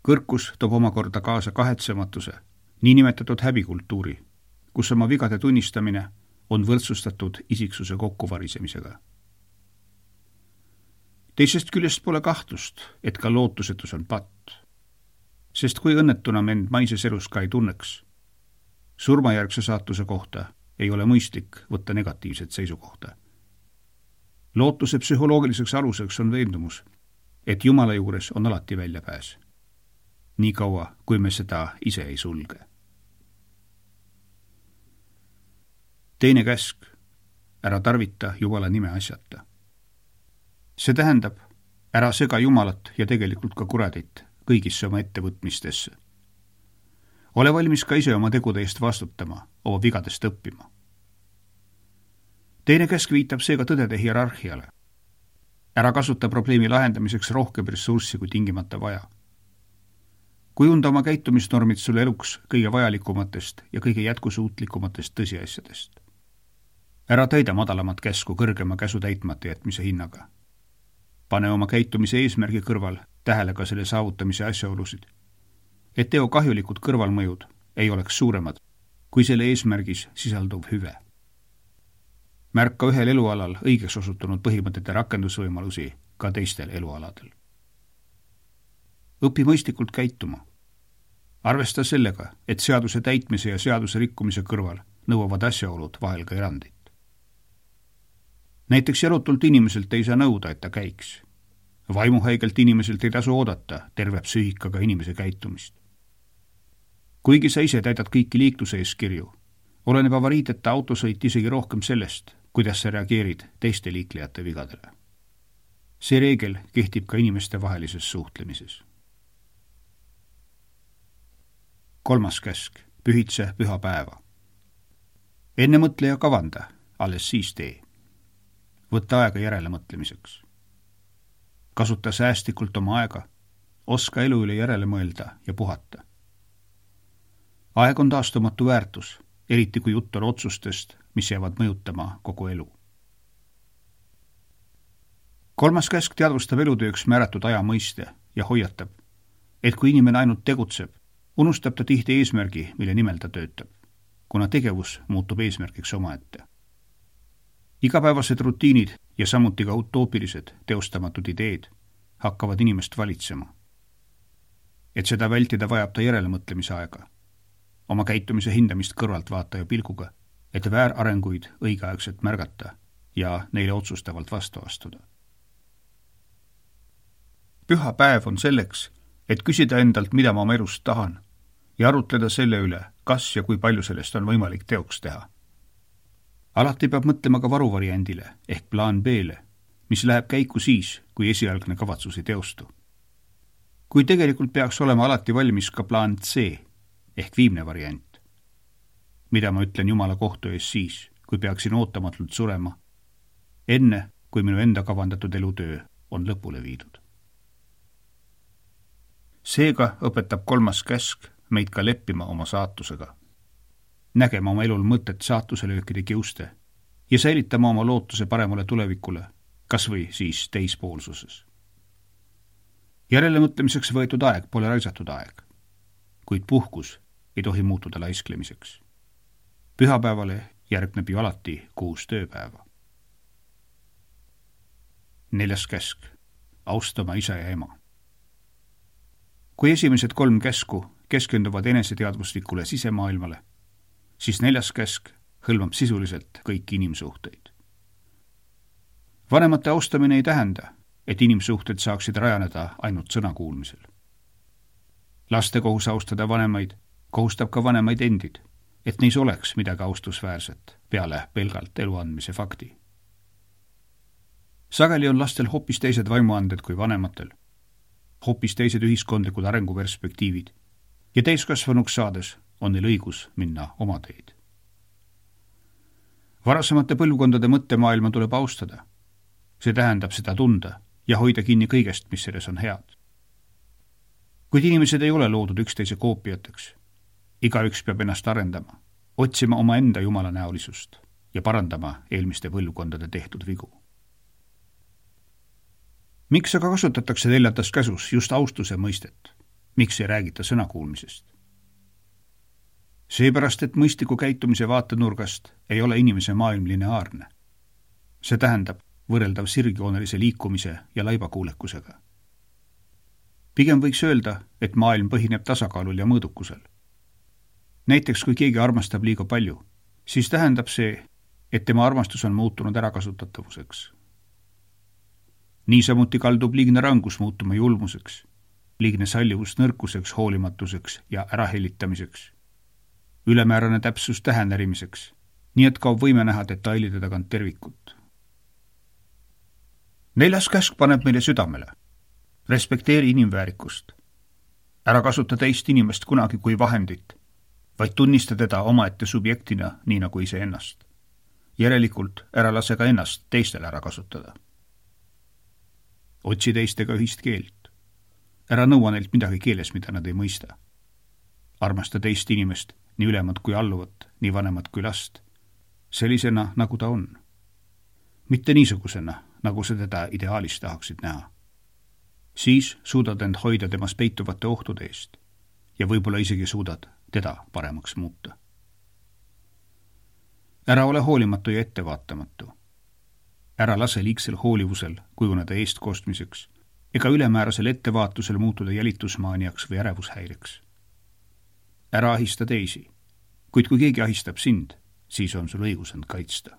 Speaker 2: Kõrkus toob omakorda kaasa kahetsematuse niinimetatud häbikultuuri, kus oma vigade tunnistamine on võrdsustatud isiksuse kokkuvarisemisega. Teisest küljest pole kahtlust, et ka lootusetus on patt, sest kui õnnetuna me end maises elus ka ei tunneks, surmajärgse saatuse kohta ei ole mõistlik võtta negatiivset seisukohta. Lootuse psühholoogiliseks aluseks on veendumus, et Jumala juures on alati väljapääs, nii kaua, kui me seda ise ei sulge. Teine käsk, ära tarvita Jumala nime asjata. See tähendab, ära sega Jumalat ja tegelikult ka kuradit kõigisse oma ettevõtmistesse. Ole valmis ka ise oma tegude eest vastutama, oma vigadest õppima. Teine käsk viitab seega tõdede hierarhiale. Ära kasuta probleemi lahendamiseks rohkem ressurssi kui tingimata vaja. Kujunda oma käitumisnormid sulle eluks kõige vajalikumatest ja kõige jätkusuutlikumatest tõsiasjadest. Ära täida madalamat käsku kõrgema käsu täitmata jätmise hinnaga. Pane oma käitumise eesmärgi kõrval tähele ka selle saavutamise asjaolusid, et teo kahjulikud kõrvalmõjud ei oleks suuremad kui selle eesmärgis sisalduv hüve. Märka ühel elualal õigeks osutunud põhimõtete rakendusvõimalusi ka teistel elualadel. Õpi mõistlikult käituma. Arvesta sellega, et seaduse täitmise ja seaduse rikkumise kõrval nõuavad asjaolud vahel ka erandit. Näiteks jalutult inimeselt ei saa nõuda, et ta käiks. Vaimuhaigelt inimeselt ei tasu oodata terve psüühikaga inimese käitumist. Kuigi sa ise täidad kõiki liikluse eeskirju, oleneb avariiteta autosõit isegi rohkem sellest, kuidas sa reageerid teiste liiklejate vigadele. See reegel kehtib ka inimeste vahelises suhtlemises. Kolmas käsk, pühitse püha päeva. Enne mõtle ja kavanda, alles siis tee. Võtta aega järele mõtlemiseks. Kasuta säästlikult oma aega, oska elu üle järele mõelda ja puhata. Aeg on taastumatu väärtus, eriti kui jutt on otsustest, mis jäävad mõjutama kogu elu. Kolmas käsk teadvustab elutööks määratud aja mõiste ja hoiatab, et kui inimene ainult tegutseb, unustab ta tihti eesmärgi, mille nimel ta töötab, kuna tegevus muutub eesmärgiks omaette. Igapäevased rutiinid ja samuti ka utoopilised teostamatud ideed hakkavad inimest valitsema. Et seda vältida vajab ta järelemõtlemise aega, oma käitumise hindamist kõrvalt vaataja pilguga, et väärarenguid õigeaegselt märgata ja neile otsustavalt vastu astuda. Püha päev on selleks, et küsida endalt, mida ma oma elust tahan ja arutleda selle üle, kas ja kui palju sellest on võimalik teoks teha. Alati peab mõtlema ka varuvariandile ehk plaan B-le, mis läheb käiku siis, kui esialgne kavatsus ei teostu. Kui tegelikult peaks olema alati valmis ka plaan C ehk viimne variant, mida ma ütlen Jumala kohtu ees siis, kui peaksin ootamatult surema, enne kui minu enda kavandatud elutöö on lõpule viidud. Seega õpetab kolmas käsk meid ka leppima oma saatusega, nägema oma elul mõtet saatuselöökide kiuste ja säilitama oma lootuse paremale tulevikule, kas või siis teispoolsuses. Järelemõtlemiseks võetud aeg pole raisatud aeg, kuid puhkus ei tohi muutuda laisklemiseks. Pühapäevale järgneb ju alati kuus tööpäeva. Neljas käsk, austama isa ja ema. Kui esimesed kolm käsku keskenduvad eneseteadvuslikule sisemaailmale, siis neljas käsk hõlmab sisuliselt kõiki inimsuhteid. Vanemate austamine ei tähenda, et inimsuhted saaksid rajaneda ainult sõnakuulmisel. Laste kohus austada vanemaid kohustab ka vanemaid endid, et neis oleks midagi austusväärset peale pelgalt elu andmise fakti. Sageli on lastel hoopis teised vaimuanded kui vanematel, hoopis teised ühiskondlikud arenguperspektiivid ja täiskasvanuks saades on neil õigus minna oma teed. Varasemate põlvkondade mõttemaailma tuleb austada. See tähendab seda tunda ja hoida kinni kõigest, mis selles on head. Kuid inimesed ei ole loodud üksteise koopiateks. Igaüks peab ennast arendama, otsima oma enda jumalanäolisust ja parandama eelmiste põlvkondade tehtud vigu. Miks aga kasutatakse neljandas käsus just austuse mõistet? Miks ei räägita sõnakuulmisest? Seepärast, et mõistliku käitumise vaatenurgast ei ole inimese maailm lineaarne. See tähendab võrreldav sirgjoonelise liikumise ja laibakuulekusega. Pigem võiks öelda, et maailm põhineb tasakaalul ja mõõdukusel. Näiteks, kui keegi armastab liiga palju, siis tähendab see, et tema armastus on muutunud ärakasutatavuseks. Niisamuti kaldub liigne rangus muutuma julmuseks, liigne sallivus nõrkuseks, hoolimatuseks ja ärahellitamiseks, ülemäärane täpsus tähenärimiseks, nii et kaob võime näha detailide tagant tervikut. Neljas käsk paneb meile südamele. Respekteeri inimväärikust. Ära kasuta teist inimest kunagi kui vahendit, vaid tunnista teda omaette subjektina, nii nagu ise ennast. Järelikult ära lase ka ennast teistele ära kasutada. Otsi teistega ühist keelt. Ära nõua neilt midagi keeles, mida nad ei mõista. Armasta teist inimest, nii ülemat kui alluvat, nii vanemat kui last, sellisena, nagu ta on. Mitte niisugusena, nagu sa teda ideaalis tahaksid näha. Siis suudad end hoida temas peituvate ohtude eest ja võib-olla isegi suudad teda paremaks muuta. Ära ole hoolimatu ja ettevaatamatu. Ära lase liigsel hoolivusel kujuneda eestkostmiseks ega ülemäärasel ettevaatusel muutuda jälitusmaaniaks või ärevushäireks. Ära ahista teisi, kuid kui keegi ahistab sind, siis on sul õigus end kaitsta.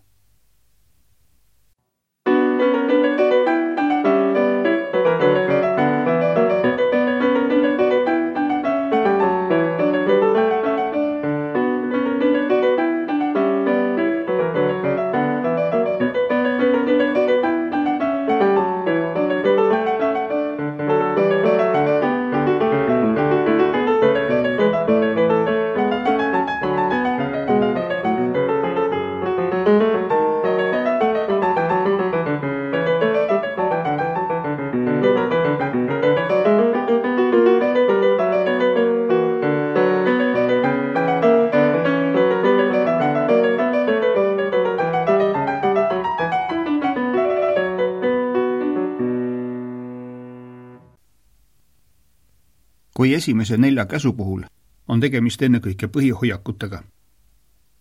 Speaker 2: Kui esimese nelja käsu puhul on tegemist ennekõike põhihoiakutega,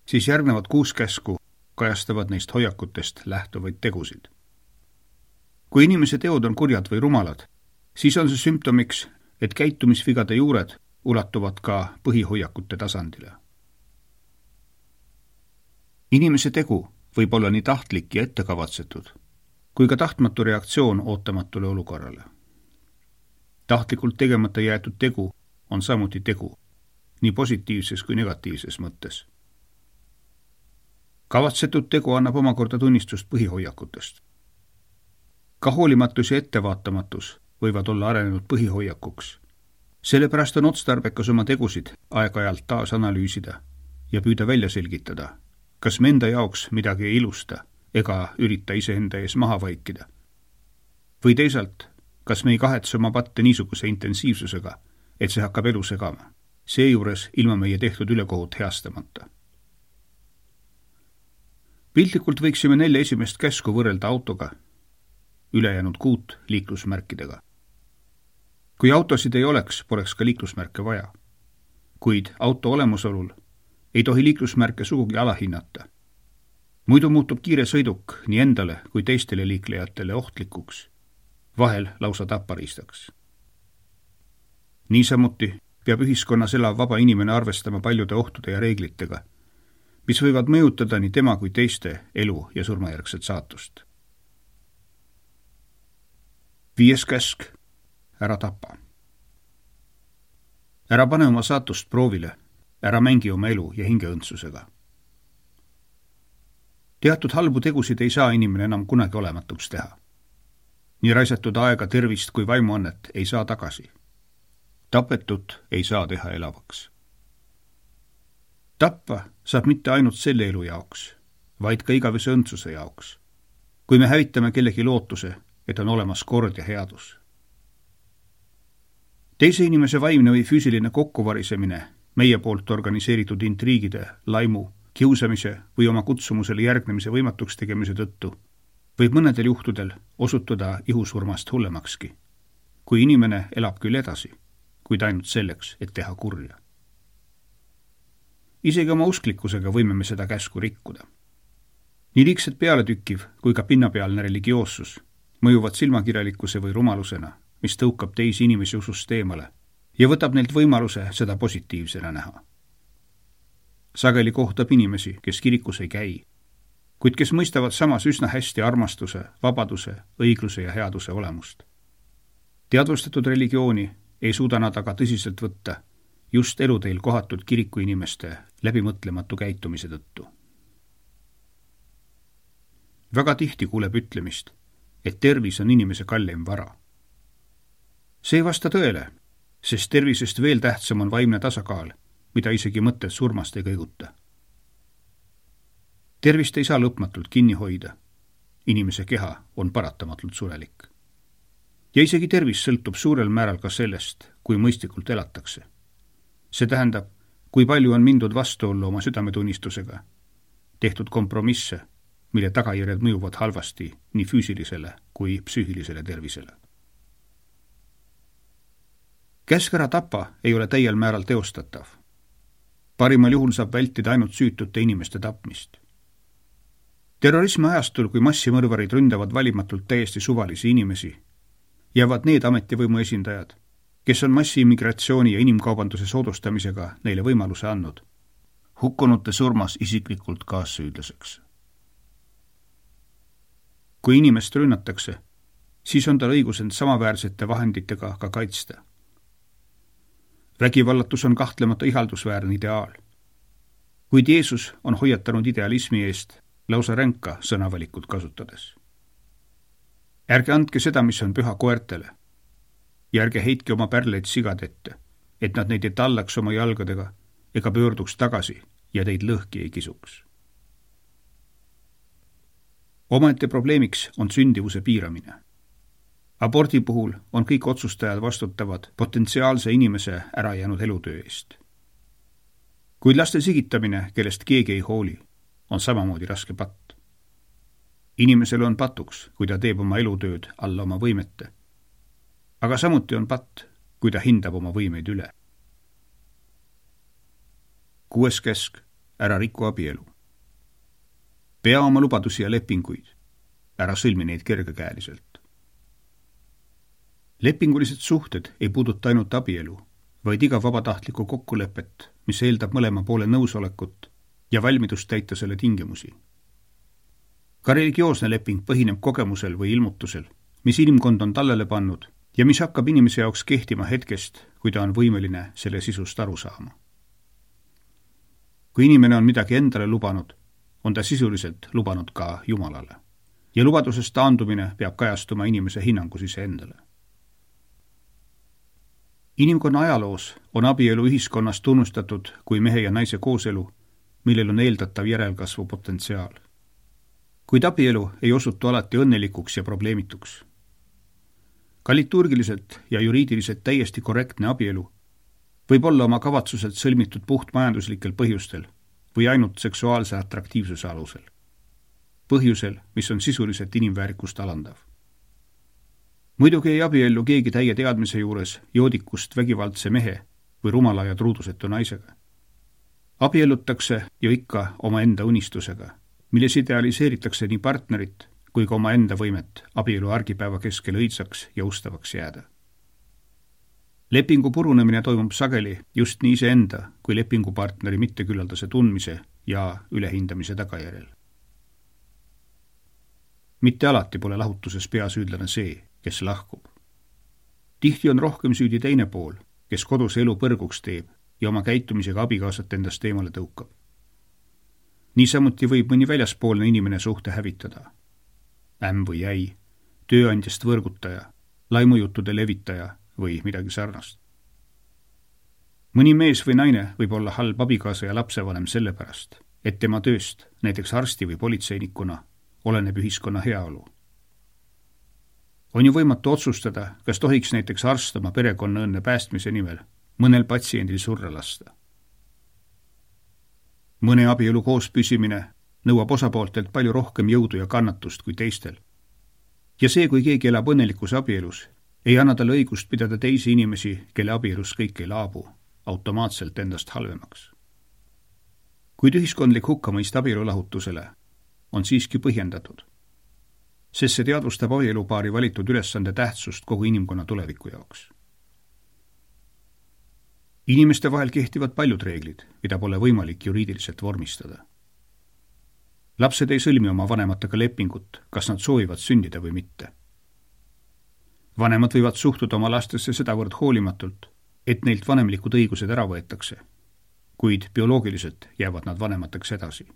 Speaker 2: siis järgnevad kuus käsku kajastavad neist hoiakutest lähtuvaid tegusid. Kui inimese teod on kurjad või rumalad, siis on see sümptomiks, et käitumisvigade juured ulatuvad ka põhihoiakute tasandile. Inimese tegu võib olla nii tahtlik ja ettekavatsetud, kui ka tahtmatu reaktsioon ootamatule olukorrale. Tahtlikult tegemata jäetud tegu on samuti tegu, nii positiivses kui negatiivses mõttes. Kavatsetud tegu annab omakorda tunnistust põhihoiakutest. Ka hoolimatus ja ettevaatamatus võivad olla arenenud põhihoiakuks. Sellepärast on otstarbekas oma tegusid aeg-ajalt taas analüüsida ja püüda välja selgitada, kas me enda jaoks midagi ei ilusta ega ürita iseenda ees maha vaikida. Või teisalt, kas me ei kahetse oma patte niisuguse intensiivsusega, et see hakkab elu segama, seejuures ilma meie tehtud ülekohut heastamata. Piltlikult võiksime nelja esimest käsku võrrelda autoga, ülejäänud kuut liiklusmärkidega. Kui autosid ei oleks, poleks ka liiklusmärke vaja. Kuid auto olemusolul ei tohi liiklusmärke sugugi alahinnata. Muidu muutub kiire sõiduk nii endale kui teistele liiklejatele ohtlikuks, vahel lausa tappariistaks. Niisamuti peab ühiskonnas elav vaba inimene arvestama paljude ohtude ja reeglitega, mis võivad mõjutada nii tema kui teiste elu ja surmajärgset saatust. Viies käsk, ära tapa. Ära pane oma saatust proovile, ära mängi oma elu ja hingeõndsusega. Teatud halbu tegusid ei saa inimene enam kunagi olematuks teha. Nii raisatud aega, tervist kui vaimuannet ei saa tagasi. Tapetut ei saa teha elavaks. Tappa saab mitte ainult selle elu jaoks, vaid ka igavese õndsuse jaoks, kui me hävitame kellegi lootuse, et on olemas kord ja headus. Teise inimese vaimne või füüsiline kokkuvarisemine meie poolt organiseeritud intriigide, laimu, kiusamise või oma kutsumusele järgnemise võimatuks tegemise tõttu võib mõnedel juhtudel osutuda ihusurmast hullemakski, kui inimene elab küll edasi, kuid ainult selleks, et teha kurja. Isegi oma usklikkusega võime me seda käsku rikkuda. Nii liigselt pealetükkiv kui ka pinnapealne religioossus mõjuvad silmakirjalikkuse või rumalusena, mis tõukab teisi inimesi usust eemale ja võtab neilt võimaluse seda positiivsena näha. Sageli kohtab inimesi, kes kirikus ei käi, kuid kes mõistavad samas üsna hästi armastuse, vabaduse, õigluse ja headuse olemust. Teadvustatud religiooni ei suuda nad aga tõsiselt võtta just eluteel kohatud kirikuinimeste läbimõtlematu käitumise tõttu. Väga tihti kuuleb ütlemist, et tervis on inimese kalleim vara. See ei vasta tõele, sest tervisest veel tähtsam on vaimne tasakaal, mida isegi mõtted surmast ei kõiguta. Tervist ei saa lõpmatult kinni hoida. Inimese keha on paratamatult surelik. Ja isegi tervis sõltub suurel määral ka sellest, kui mõistlikult elatakse. See tähendab, kui palju on mindud vastuollu oma südametunnistusega, tehtud kompromisse, mille tagajärjed mõjuvad halvasti nii füüsilisele kui psüühilisele tervisele. Käsk ära tapa ei ole täiel määral teostatav. Parimal juhul saab vältida ainult süütute inimeste tapmist. Terrorismi ajastul, kui massimõrvarid ründavad valimatult täiesti suvalisi inimesi, jäävad need ametivõimu esindajad, kes on massiimmigratsiooni ja inimkaubanduse soodustamisega neile võimaluse andnud, hukkunute surmas isiklikult kaassüüdlaseks. Kui inimest rünnatakse, siis on tal õigus end samaväärsete vahenditega ka kaitsta. Vägivallatus on kahtlemata ihaldusväärne ideaal. Kuid Jeesus on hoiatanud idealismi eest lausa ränka sõnavalikut kasutades. Ärge andke seda, mis on püha koertele, ja ärge heitke oma pärleid sigad ette, et nad neid ei tallaks oma jalgadega ega pöörduks tagasi ja teid lõhki ei kisuks. Omaette probleemiks on sündivuse piiramine. Abordi puhul on kõik otsustajad vastutavad potentsiaalse inimese ära jäänud elutöö eest. Kuid laste sigitamine, kellest keegi ei hooli, on samamoodi raske patt. Inimesele on patuks, kui ta teeb oma elutööd alla oma võimete, aga samuti on patt, kui ta hindab oma võimeid üle. Kuues käsk, ära riku abielu. Pea oma lubadusi ja lepinguid, ära sõlmi neid kergekäeliselt. Lepingulised suhted ei puuduta ainult abielu, vaid iga vabatahtlikku kokkulepet, mis eeldab mõlema poole nõusolekut ja valmidust täita selle tingimusi. Ka religioosne leping põhineb kogemusel või ilmutusel, mis inimkond on tallele pannud ja mis hakkab inimese jaoks kehtima hetkest, kui ta on võimeline selle sisust aru saama. Kui inimene on midagi endale lubanud, on ta sisuliselt lubanud ka Jumalale ja lubadusest taandumine peab kajastuma inimese hinnangus ise endale. Inimkonna ajaloos on abielu ühiskonnas tunnustatud kui mehe ja naise kooselu, millel on eeldatav järelkasvu potentsiaal. Kuid abielu ei osutu alati õnnelikuks ja probleemituks. Ka liturgiliselt ja juriidiliselt täiesti korrektne abielu võib olla oma kavatsuselt sõlmitud puht majanduslikel põhjustel või ainult seksuaalse atraktiivsuse alusel. Põhjusel, mis on sisuliselt inimväärikust alandav. Muidugi ei abiellu keegi täie teadmise juures joodikust vägivaldse mehe või rumala ja truudusetu naisega. Abiellutakse ju ikka oma enda unistusega, milles idealiseeritakse nii partnerit kui ka oma enda võimet abielu argipäeva keskel õitsaks ja ustavaks jääda. Lepingu purunemine toimub sageli just nii iseenda kui lepingupartneri mitteküllaldase tundmise ja ülehindamise tagajärjel. Mitte alati pole lahutuses peasüüdlane see, kes lahkub. Tihti on rohkem süüdi teine pool, kes kodus elu põrguks teeb ja oma käitumisega abikaasat endast eemale tõukab. Niisamuti võib mõni väljaspoolne inimene suhte hävitada. Ämm või jäi, tööandjast võrgutaja, laimujuttude levitaja või midagi sarnast. Mõni mees või naine võib olla halb abikaasa ja lapsevanem sellepärast, et tema tööst, näiteks arsti või politseinikuna, oleneb ühiskonna heaolu. On ju võimatu otsustada, kas tohiks näiteks arst oma perekonna õnne päästmise nimel mõnel patsiendil surra lasta. Mõne abielu koos püsimine nõuab osapooltelt palju rohkem jõudu ja kannatust kui teistel. Ja see, kui keegi elab õnnelikus abielus, ei anna talle õigust pidada teisi inimesi, kelle abielus kõik ei laabu, automaatselt endast halvemaks. Kuid ühiskondlik hukkamõist abielulahutusele on siiski põhjendatud, sest see teadvustab abielupaari valitud ülesande tähtsust kogu inimkonna tuleviku jaoks. Inimeste vahel kehtivad paljud reeglid, mida pole võimalik juriidiliselt vormistada. Lapsed ei sõlmi oma vanematega lepingut, kas nad soovivad sündida või mitte. Vanemad võivad suhtuda oma lastesse sedavõrd hoolimatult, et neilt vanemlikud õigused ära võetakse, kuid bioloogiliselt jäävad nad vanemateks edasi.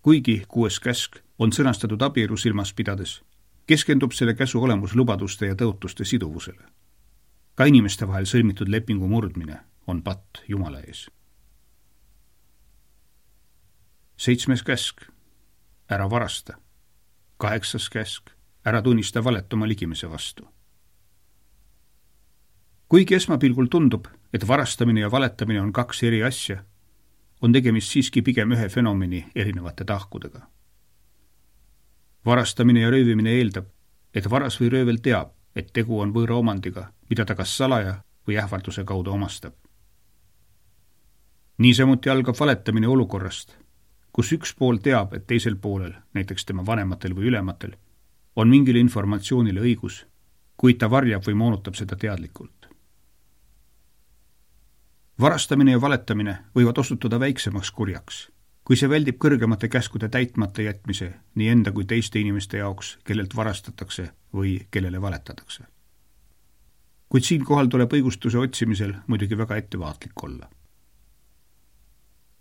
Speaker 2: Kuigi kuues käsk on sõnastatud abielu silmas pidades, keskendub selle käsu olemus lubaduste ja tõotuste siduvusele. Ka inimeste vahel sõlmitud lepingu murdmine on patt Jumala ees. Seitsmes käsk, ära varasta. Kaheksas käsk, ära tunnista valet oma ligimese vastu. Kuigi esmapilgul tundub, et varastamine ja valetamine on kaks eri asja, on tegemist siiski pigem ühe fenomeni erinevate tahkudega. Varastamine ja röövimine eeldab, et varas või röövel teab, et tegu on võõra omandiga, mida ta kas salaja või ähvarduse kaudu omastab. Niisamuti algab valetamine olukorrast, kus üks pool teab, et teisel poolel, näiteks tema vanematel või ülematel, on mingile informatsioonile õigus, kuid ta varjab või moonutab seda teadlikult. Varastamine ja valetamine võivad osutuda väiksemaks kurjaks, kui see väldib kõrgemate käskude täitmata jätmise nii enda kui teiste inimeste jaoks, kellelt varastatakse või kellele valetatakse. Kuid siinkohal tuleb õigustuse otsimisel muidugi väga ettevaatlik olla.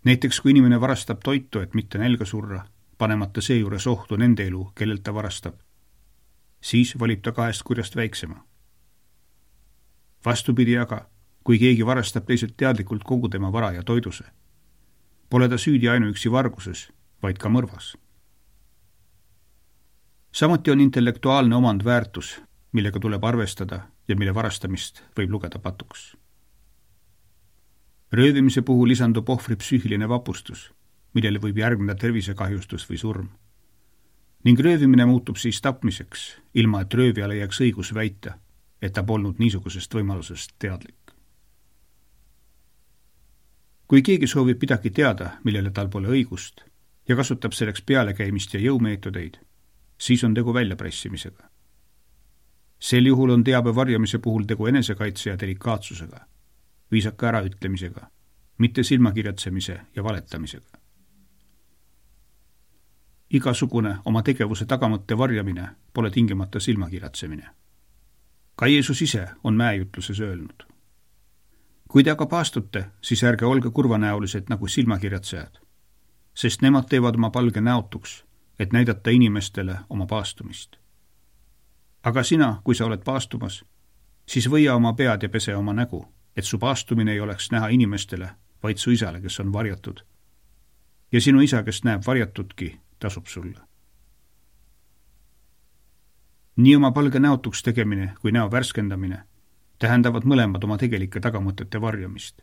Speaker 2: Näiteks kui inimene varastab toitu, et mitte nälga surra, panemata seejuures ohtu nende elu, kellelt ta varastab, siis valib ta kahest kurjast väiksema. Vastupidi aga, kui keegi varastab teiselt teadlikult kogu tema vara ja toiduse, pole ta süüdi ainuüksi varguses, vaid ka mõrvas. Samuti on intellektuaalne omand väärtus, millega tuleb arvestada ja mille varastamist võib lugeda patuks. Röövimise puhul lisandub ohvri psüühiline vapustus, millele võib järgneda tervisekahjustus või surm. Ning röövimine muutub siis tapmiseks, ilma et röövijale jääks õigus väita, et ta polnud niisugusest võimalusest teadlik. Kui keegi soovib midagi teada, millele tal pole õigust, ja kasutab selleks pealekäimist ja jõumeetodeid, siis on tegu väljapressimisega. Sel juhul on teabe varjamise puhul tegu enesekaitse ja delikaatsusega, viisaka äraütlemisega, mitte silmakirjatsemise ja valetamisega. Igasugune oma tegevuse tagamõtte varjamine pole tingimata silmakirjatsemine. Ka Jeesus ise on mäejutluses öelnud. Kui te aga paastute, siis ärge olge kurvanäolised nagu silmakirjatsejad, sest nemad teevad oma palge näotuks, et näidata inimestele oma paastumist. Aga sina, kui sa oled paastumas, siis võia oma pead ja pese oma nägu, et su paastumine ei oleks näha inimestele, vaid su isale, kes on varjatud. Ja sinu isa, kes näeb varjatudki, tasub sulle. Nii oma palge näotuks tegemine kui näo värskendamine tähendavad mõlemad oma tegelike tagamõtete varjamist.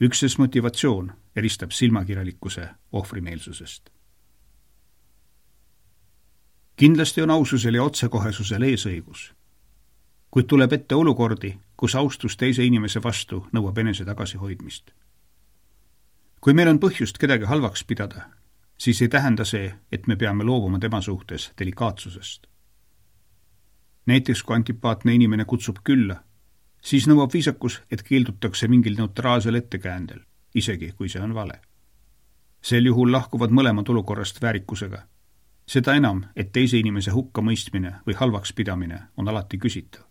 Speaker 2: Ükses motivatsioon eristab silmakirjalikkuse ohvrimeelsusest. Kindlasti on aususel ja otsekohesusel eesõigus, kuid tuleb ette olukordi, kus austus teise inimese vastu nõuab enese tagasihoidmist. Kui meil on põhjust kedagi halvaks pidada, siis ei tähenda see, et me peame loobuma tema suhtes delikaatsusest. Näiteks kui antipaatne inimene kutsub külla, siis nõuab viisakus, et keeldutakse mingil neutraalsel ettekäändel, isegi kui see on vale. Sel juhul lahkuvad mõlemad olukorrast väärikusega. Seda enam, et teise inimese hukka mõistmine või halvaks pidamine on alati küsitav,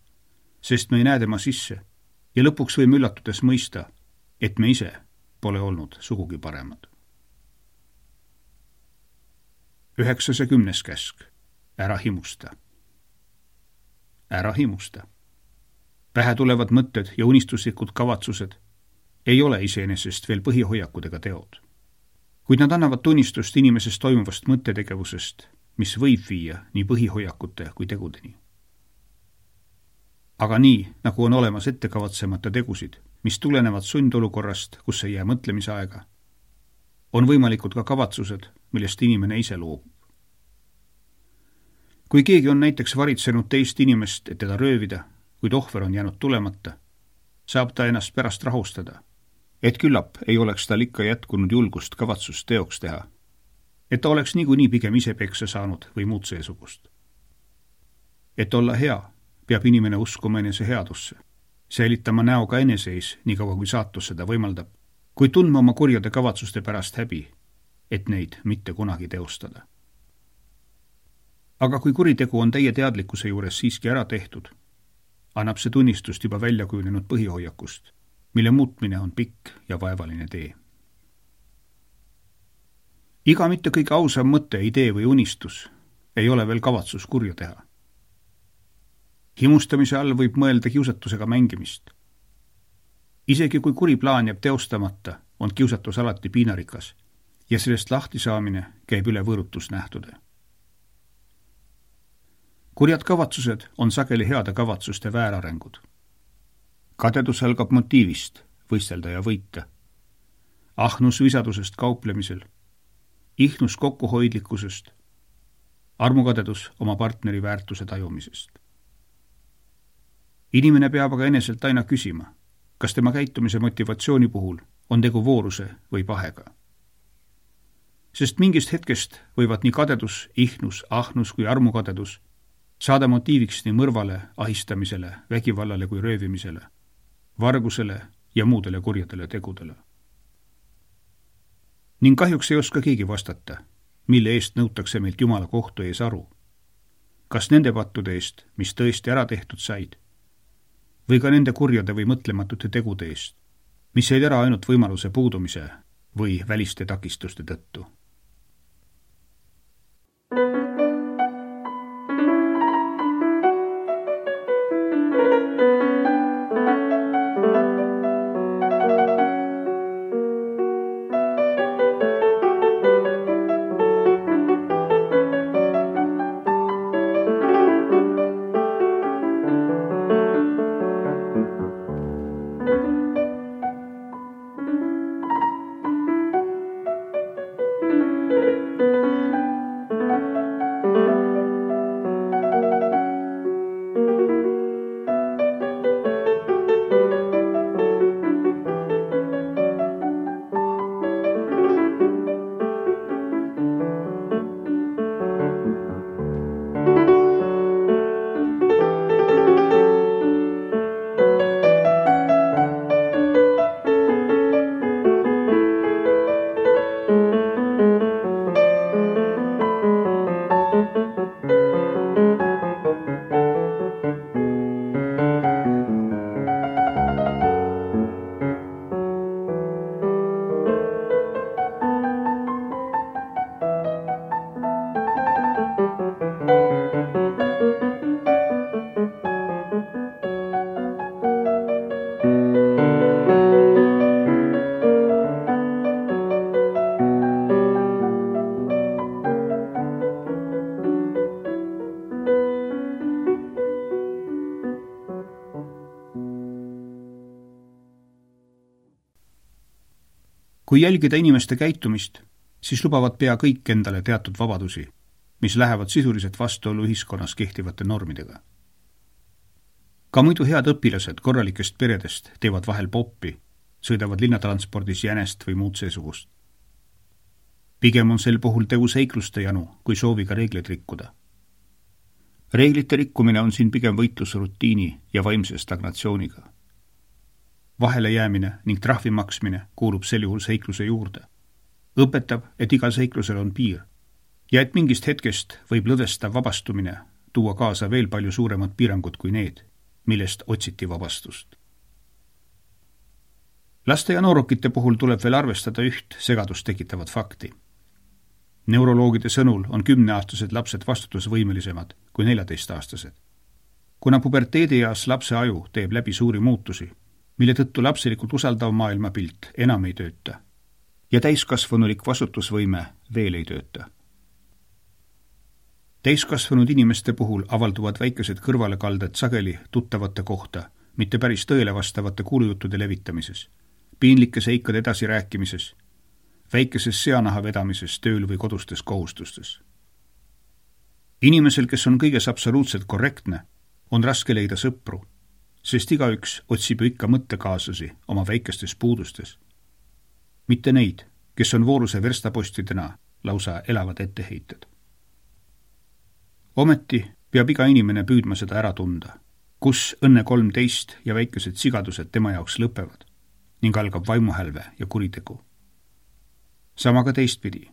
Speaker 2: sest me ei näe tema sisse ja lõpuks võime üllatudes mõista, et me ise pole olnud sugugi paremad. Üheksas ja kümnes käsk. Ära himusta. Ära himusta. Pähe tulevad mõtted ja unistuslikud kavatsused ei ole iseenesest veel põhihoiakud ega teod. Kuid nad annavad tunnistust inimesest toimuvast mõttetegevusest, mis võib viia nii põhihoiakute kui tegudeni. Aga nii, nagu on olemas ettekavatsemata tegusid, mis tulenevad sundolukorrast, kus ei jää mõtlemise aega, on võimalikud ka kavatsused, millest inimene ise loobub. Kui keegi on näiteks varitsenud teist inimest, et teda röövida, kuid ohver on jäänud tulemata, saab ta ennast pärast rahustada et küllap ei oleks tal ikka jätkunud julgust kavatsust teoks teha, et ta oleks niikuinii pigem ise peksa saanud või muud seesugust. Et olla hea, peab inimene uskuma enese headusse, säilitama näoga eneseis, nii kaua kui saatus seda võimaldab, kui tundma oma kurjade kavatsuste pärast häbi, et neid mitte kunagi teostada. Aga kui kuritegu on teie teadlikkuse juures siiski ära tehtud, annab see tunnistust juba välja kujunenud põhihoiakust, mille muutmine on pikk ja vaevaline tee. Iga mitte kõige ausam mõte, idee või unistus ei ole veel kavatsus kurja teha. Himustamise all võib mõelda kiusatusega mängimist. Isegi kui kuri plaan jääb teostamata, on kiusatus alati piinarikas ja sellest lahti saamine käib üle võõrutusnähtude. Kurjad kavatsused on sageli heade kavatsuste väärarengud. Kadedus algab motiivist, võistelda ja võita. Ahnus visadusest kauplemisel, ihnus kokkuhoidlikkusest, armukadedus oma partneri väärtuse tajumisest. Inimene peab aga eneselt aina küsima, kas tema käitumise motivatsiooni puhul on tegu vooruse või pahega. Sest mingist hetkest võivad nii kadedus, ihnus, ahnus kui armukadedus saada motiiviks nii mõrvale, ahistamisele, vägivallale kui röövimisele, vargusele ja muudele kurjadele tegudele. Ning kahjuks ei oska keegi vastata, mille eest nõutakse meilt Jumala kohtu ees aru. Kas nende pattude eest, mis tõesti ära tehtud said, või ka nende kurjade või mõtlematute tegude eest, mis jäid ära ainult võimaluse puudumise või väliste takistuste tõttu. Kui jälgida inimeste käitumist, siis lubavad pea kõik endale teatud vabadusi, mis lähevad sisuliselt vastuollu ühiskonnas kehtivate normidega. Ka muidu head õpilased korralikest peredest teevad vahel poppi, sõidavad linnatranspordis jänest või muud seesugust. Pigem on sel puhul tegu seikluste janu, kui sooviga reegleid rikkuda. Reeglite rikkumine on siin pigem võitlus rutiini ja vaimse stagnatsiooniga. Vahele jäämine ning trahvi maksmine kuulub sel juhul seikluse juurde. Õpetab, et igal seiklusel on piir ja et mingist hetkest võib lõdvestav vabastumine tuua kaasa veel palju suuremad piirangud kui need, millest otsiti vabastust. Laste ja noorukite puhul tuleb veel arvestada üht segadust tekitavat fakti. Neuroloogide sõnul on kümneaastased lapsed vastutusvõimelisemad kui neljateistaastased. Kuna puberteedieas lapse aju teeb läbi suuri muutusi, mille tõttu lapselikult usaldav maailmapilt enam ei tööta ja täiskasvanulik vastutusvõime veel ei tööta. Täiskasvanud inimeste puhul avalduvad väikesed kõrvalekalded sageli tuttavate kohta, mitte päris tõele vastavate kuulujuttude levitamises, piinlike seikade edasirääkimises, väikeses seanaha vedamises tööl või kodustes kohustustes. Inimesel, kes on kõiges absoluutselt korrektne, on raske leida sõpru, sest igaüks otsib ju ikka mõttekaaslasi oma väikestes puudustes mitte neid, kes on vooruse verstapostidena lausa elavad etteheited. Ometi peab iga inimene püüdma seda ära tunda, kus õnne kolmteist ja väikesed sigadused tema jaoks lõpevad ning algab vaimuhälve ja kuritegu. Sama ka teistpidi.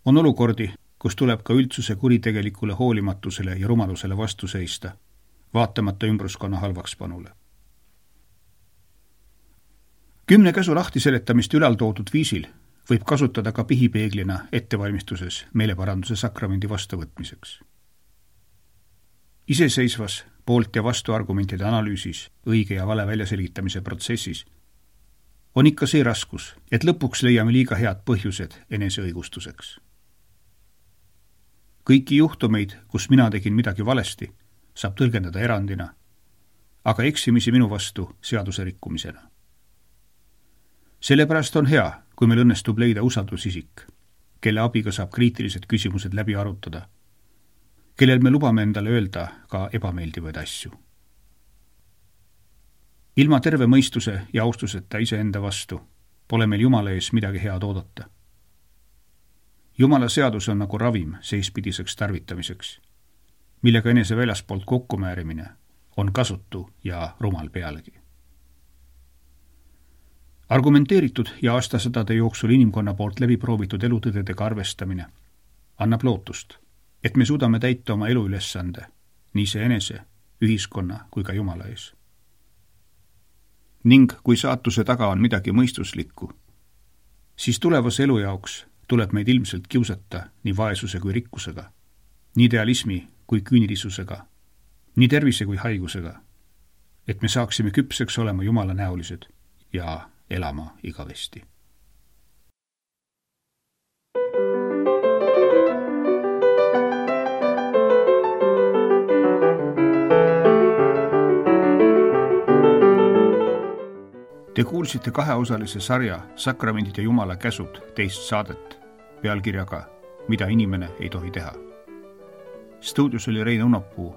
Speaker 2: On olukordi, kus tuleb ka üldsuse kuritegelikule hoolimatusele ja rumalusele vastu seista, vaatamata ümbruskonna halvakspanule. Kümne käsu lahtiseletamist ülaltoodud viisil võib kasutada ka pihipeeglina ettevalmistuses meeleparanduse sakramendi vastuvõtmiseks. Iseseisvas poolt ja vastu argumentide analüüsis, õige ja vale väljaselgitamise protsessis on ikka see raskus, et lõpuks leiame liiga head põhjused eneseõigustuseks. Kõiki juhtumeid, kus mina tegin midagi valesti, saab tõlgendada erandina, aga eksimisi minu vastu seaduse rikkumisena. Sellepärast on hea, kui meil õnnestub leida usaldusisik, kelle abiga saab kriitilised küsimused läbi arutada, kellel me lubame endale öelda ka ebameeldivaid asju. Ilma terve mõistuse ja austuseta iseenda vastu pole meil Jumala ees midagi head oodata. Jumala seadus on nagu ravim seispidiseks tarvitamiseks, millega enese väljaspoolt kokkumäärimine on kasutu ja rumal pealegi. Argumenteeritud ja aastasadade jooksul inimkonna poolt läbi proovitud elutõdedega arvestamine annab lootust, et me suudame täita oma eluülesande nii see enese, ühiskonna kui ka Jumala ees. Ning kui saatuse taga on midagi mõistuslikku, siis tulevase elu jaoks tuleb meid ilmselt kiusata nii vaesuse kui rikkusega, nii idealismi kui küünilisusega, nii tervise kui haigusega, et me saaksime küpseks olema Jumala näolised ja elama igavesti. Te kuulsite kaheosalise sarja Sakramendid ja Jumala käsud teist saadet pealkirjaga Mida inimene ei tohi teha. Stuudios oli Rein Unapuu,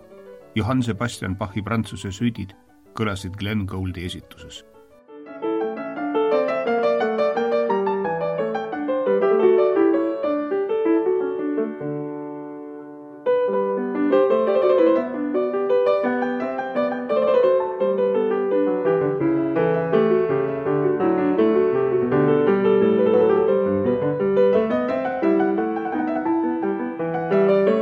Speaker 2: Johann Sebastian Bachi Prantsuse süüdid kõlasid Glenn Gouldi esituses. Thank you.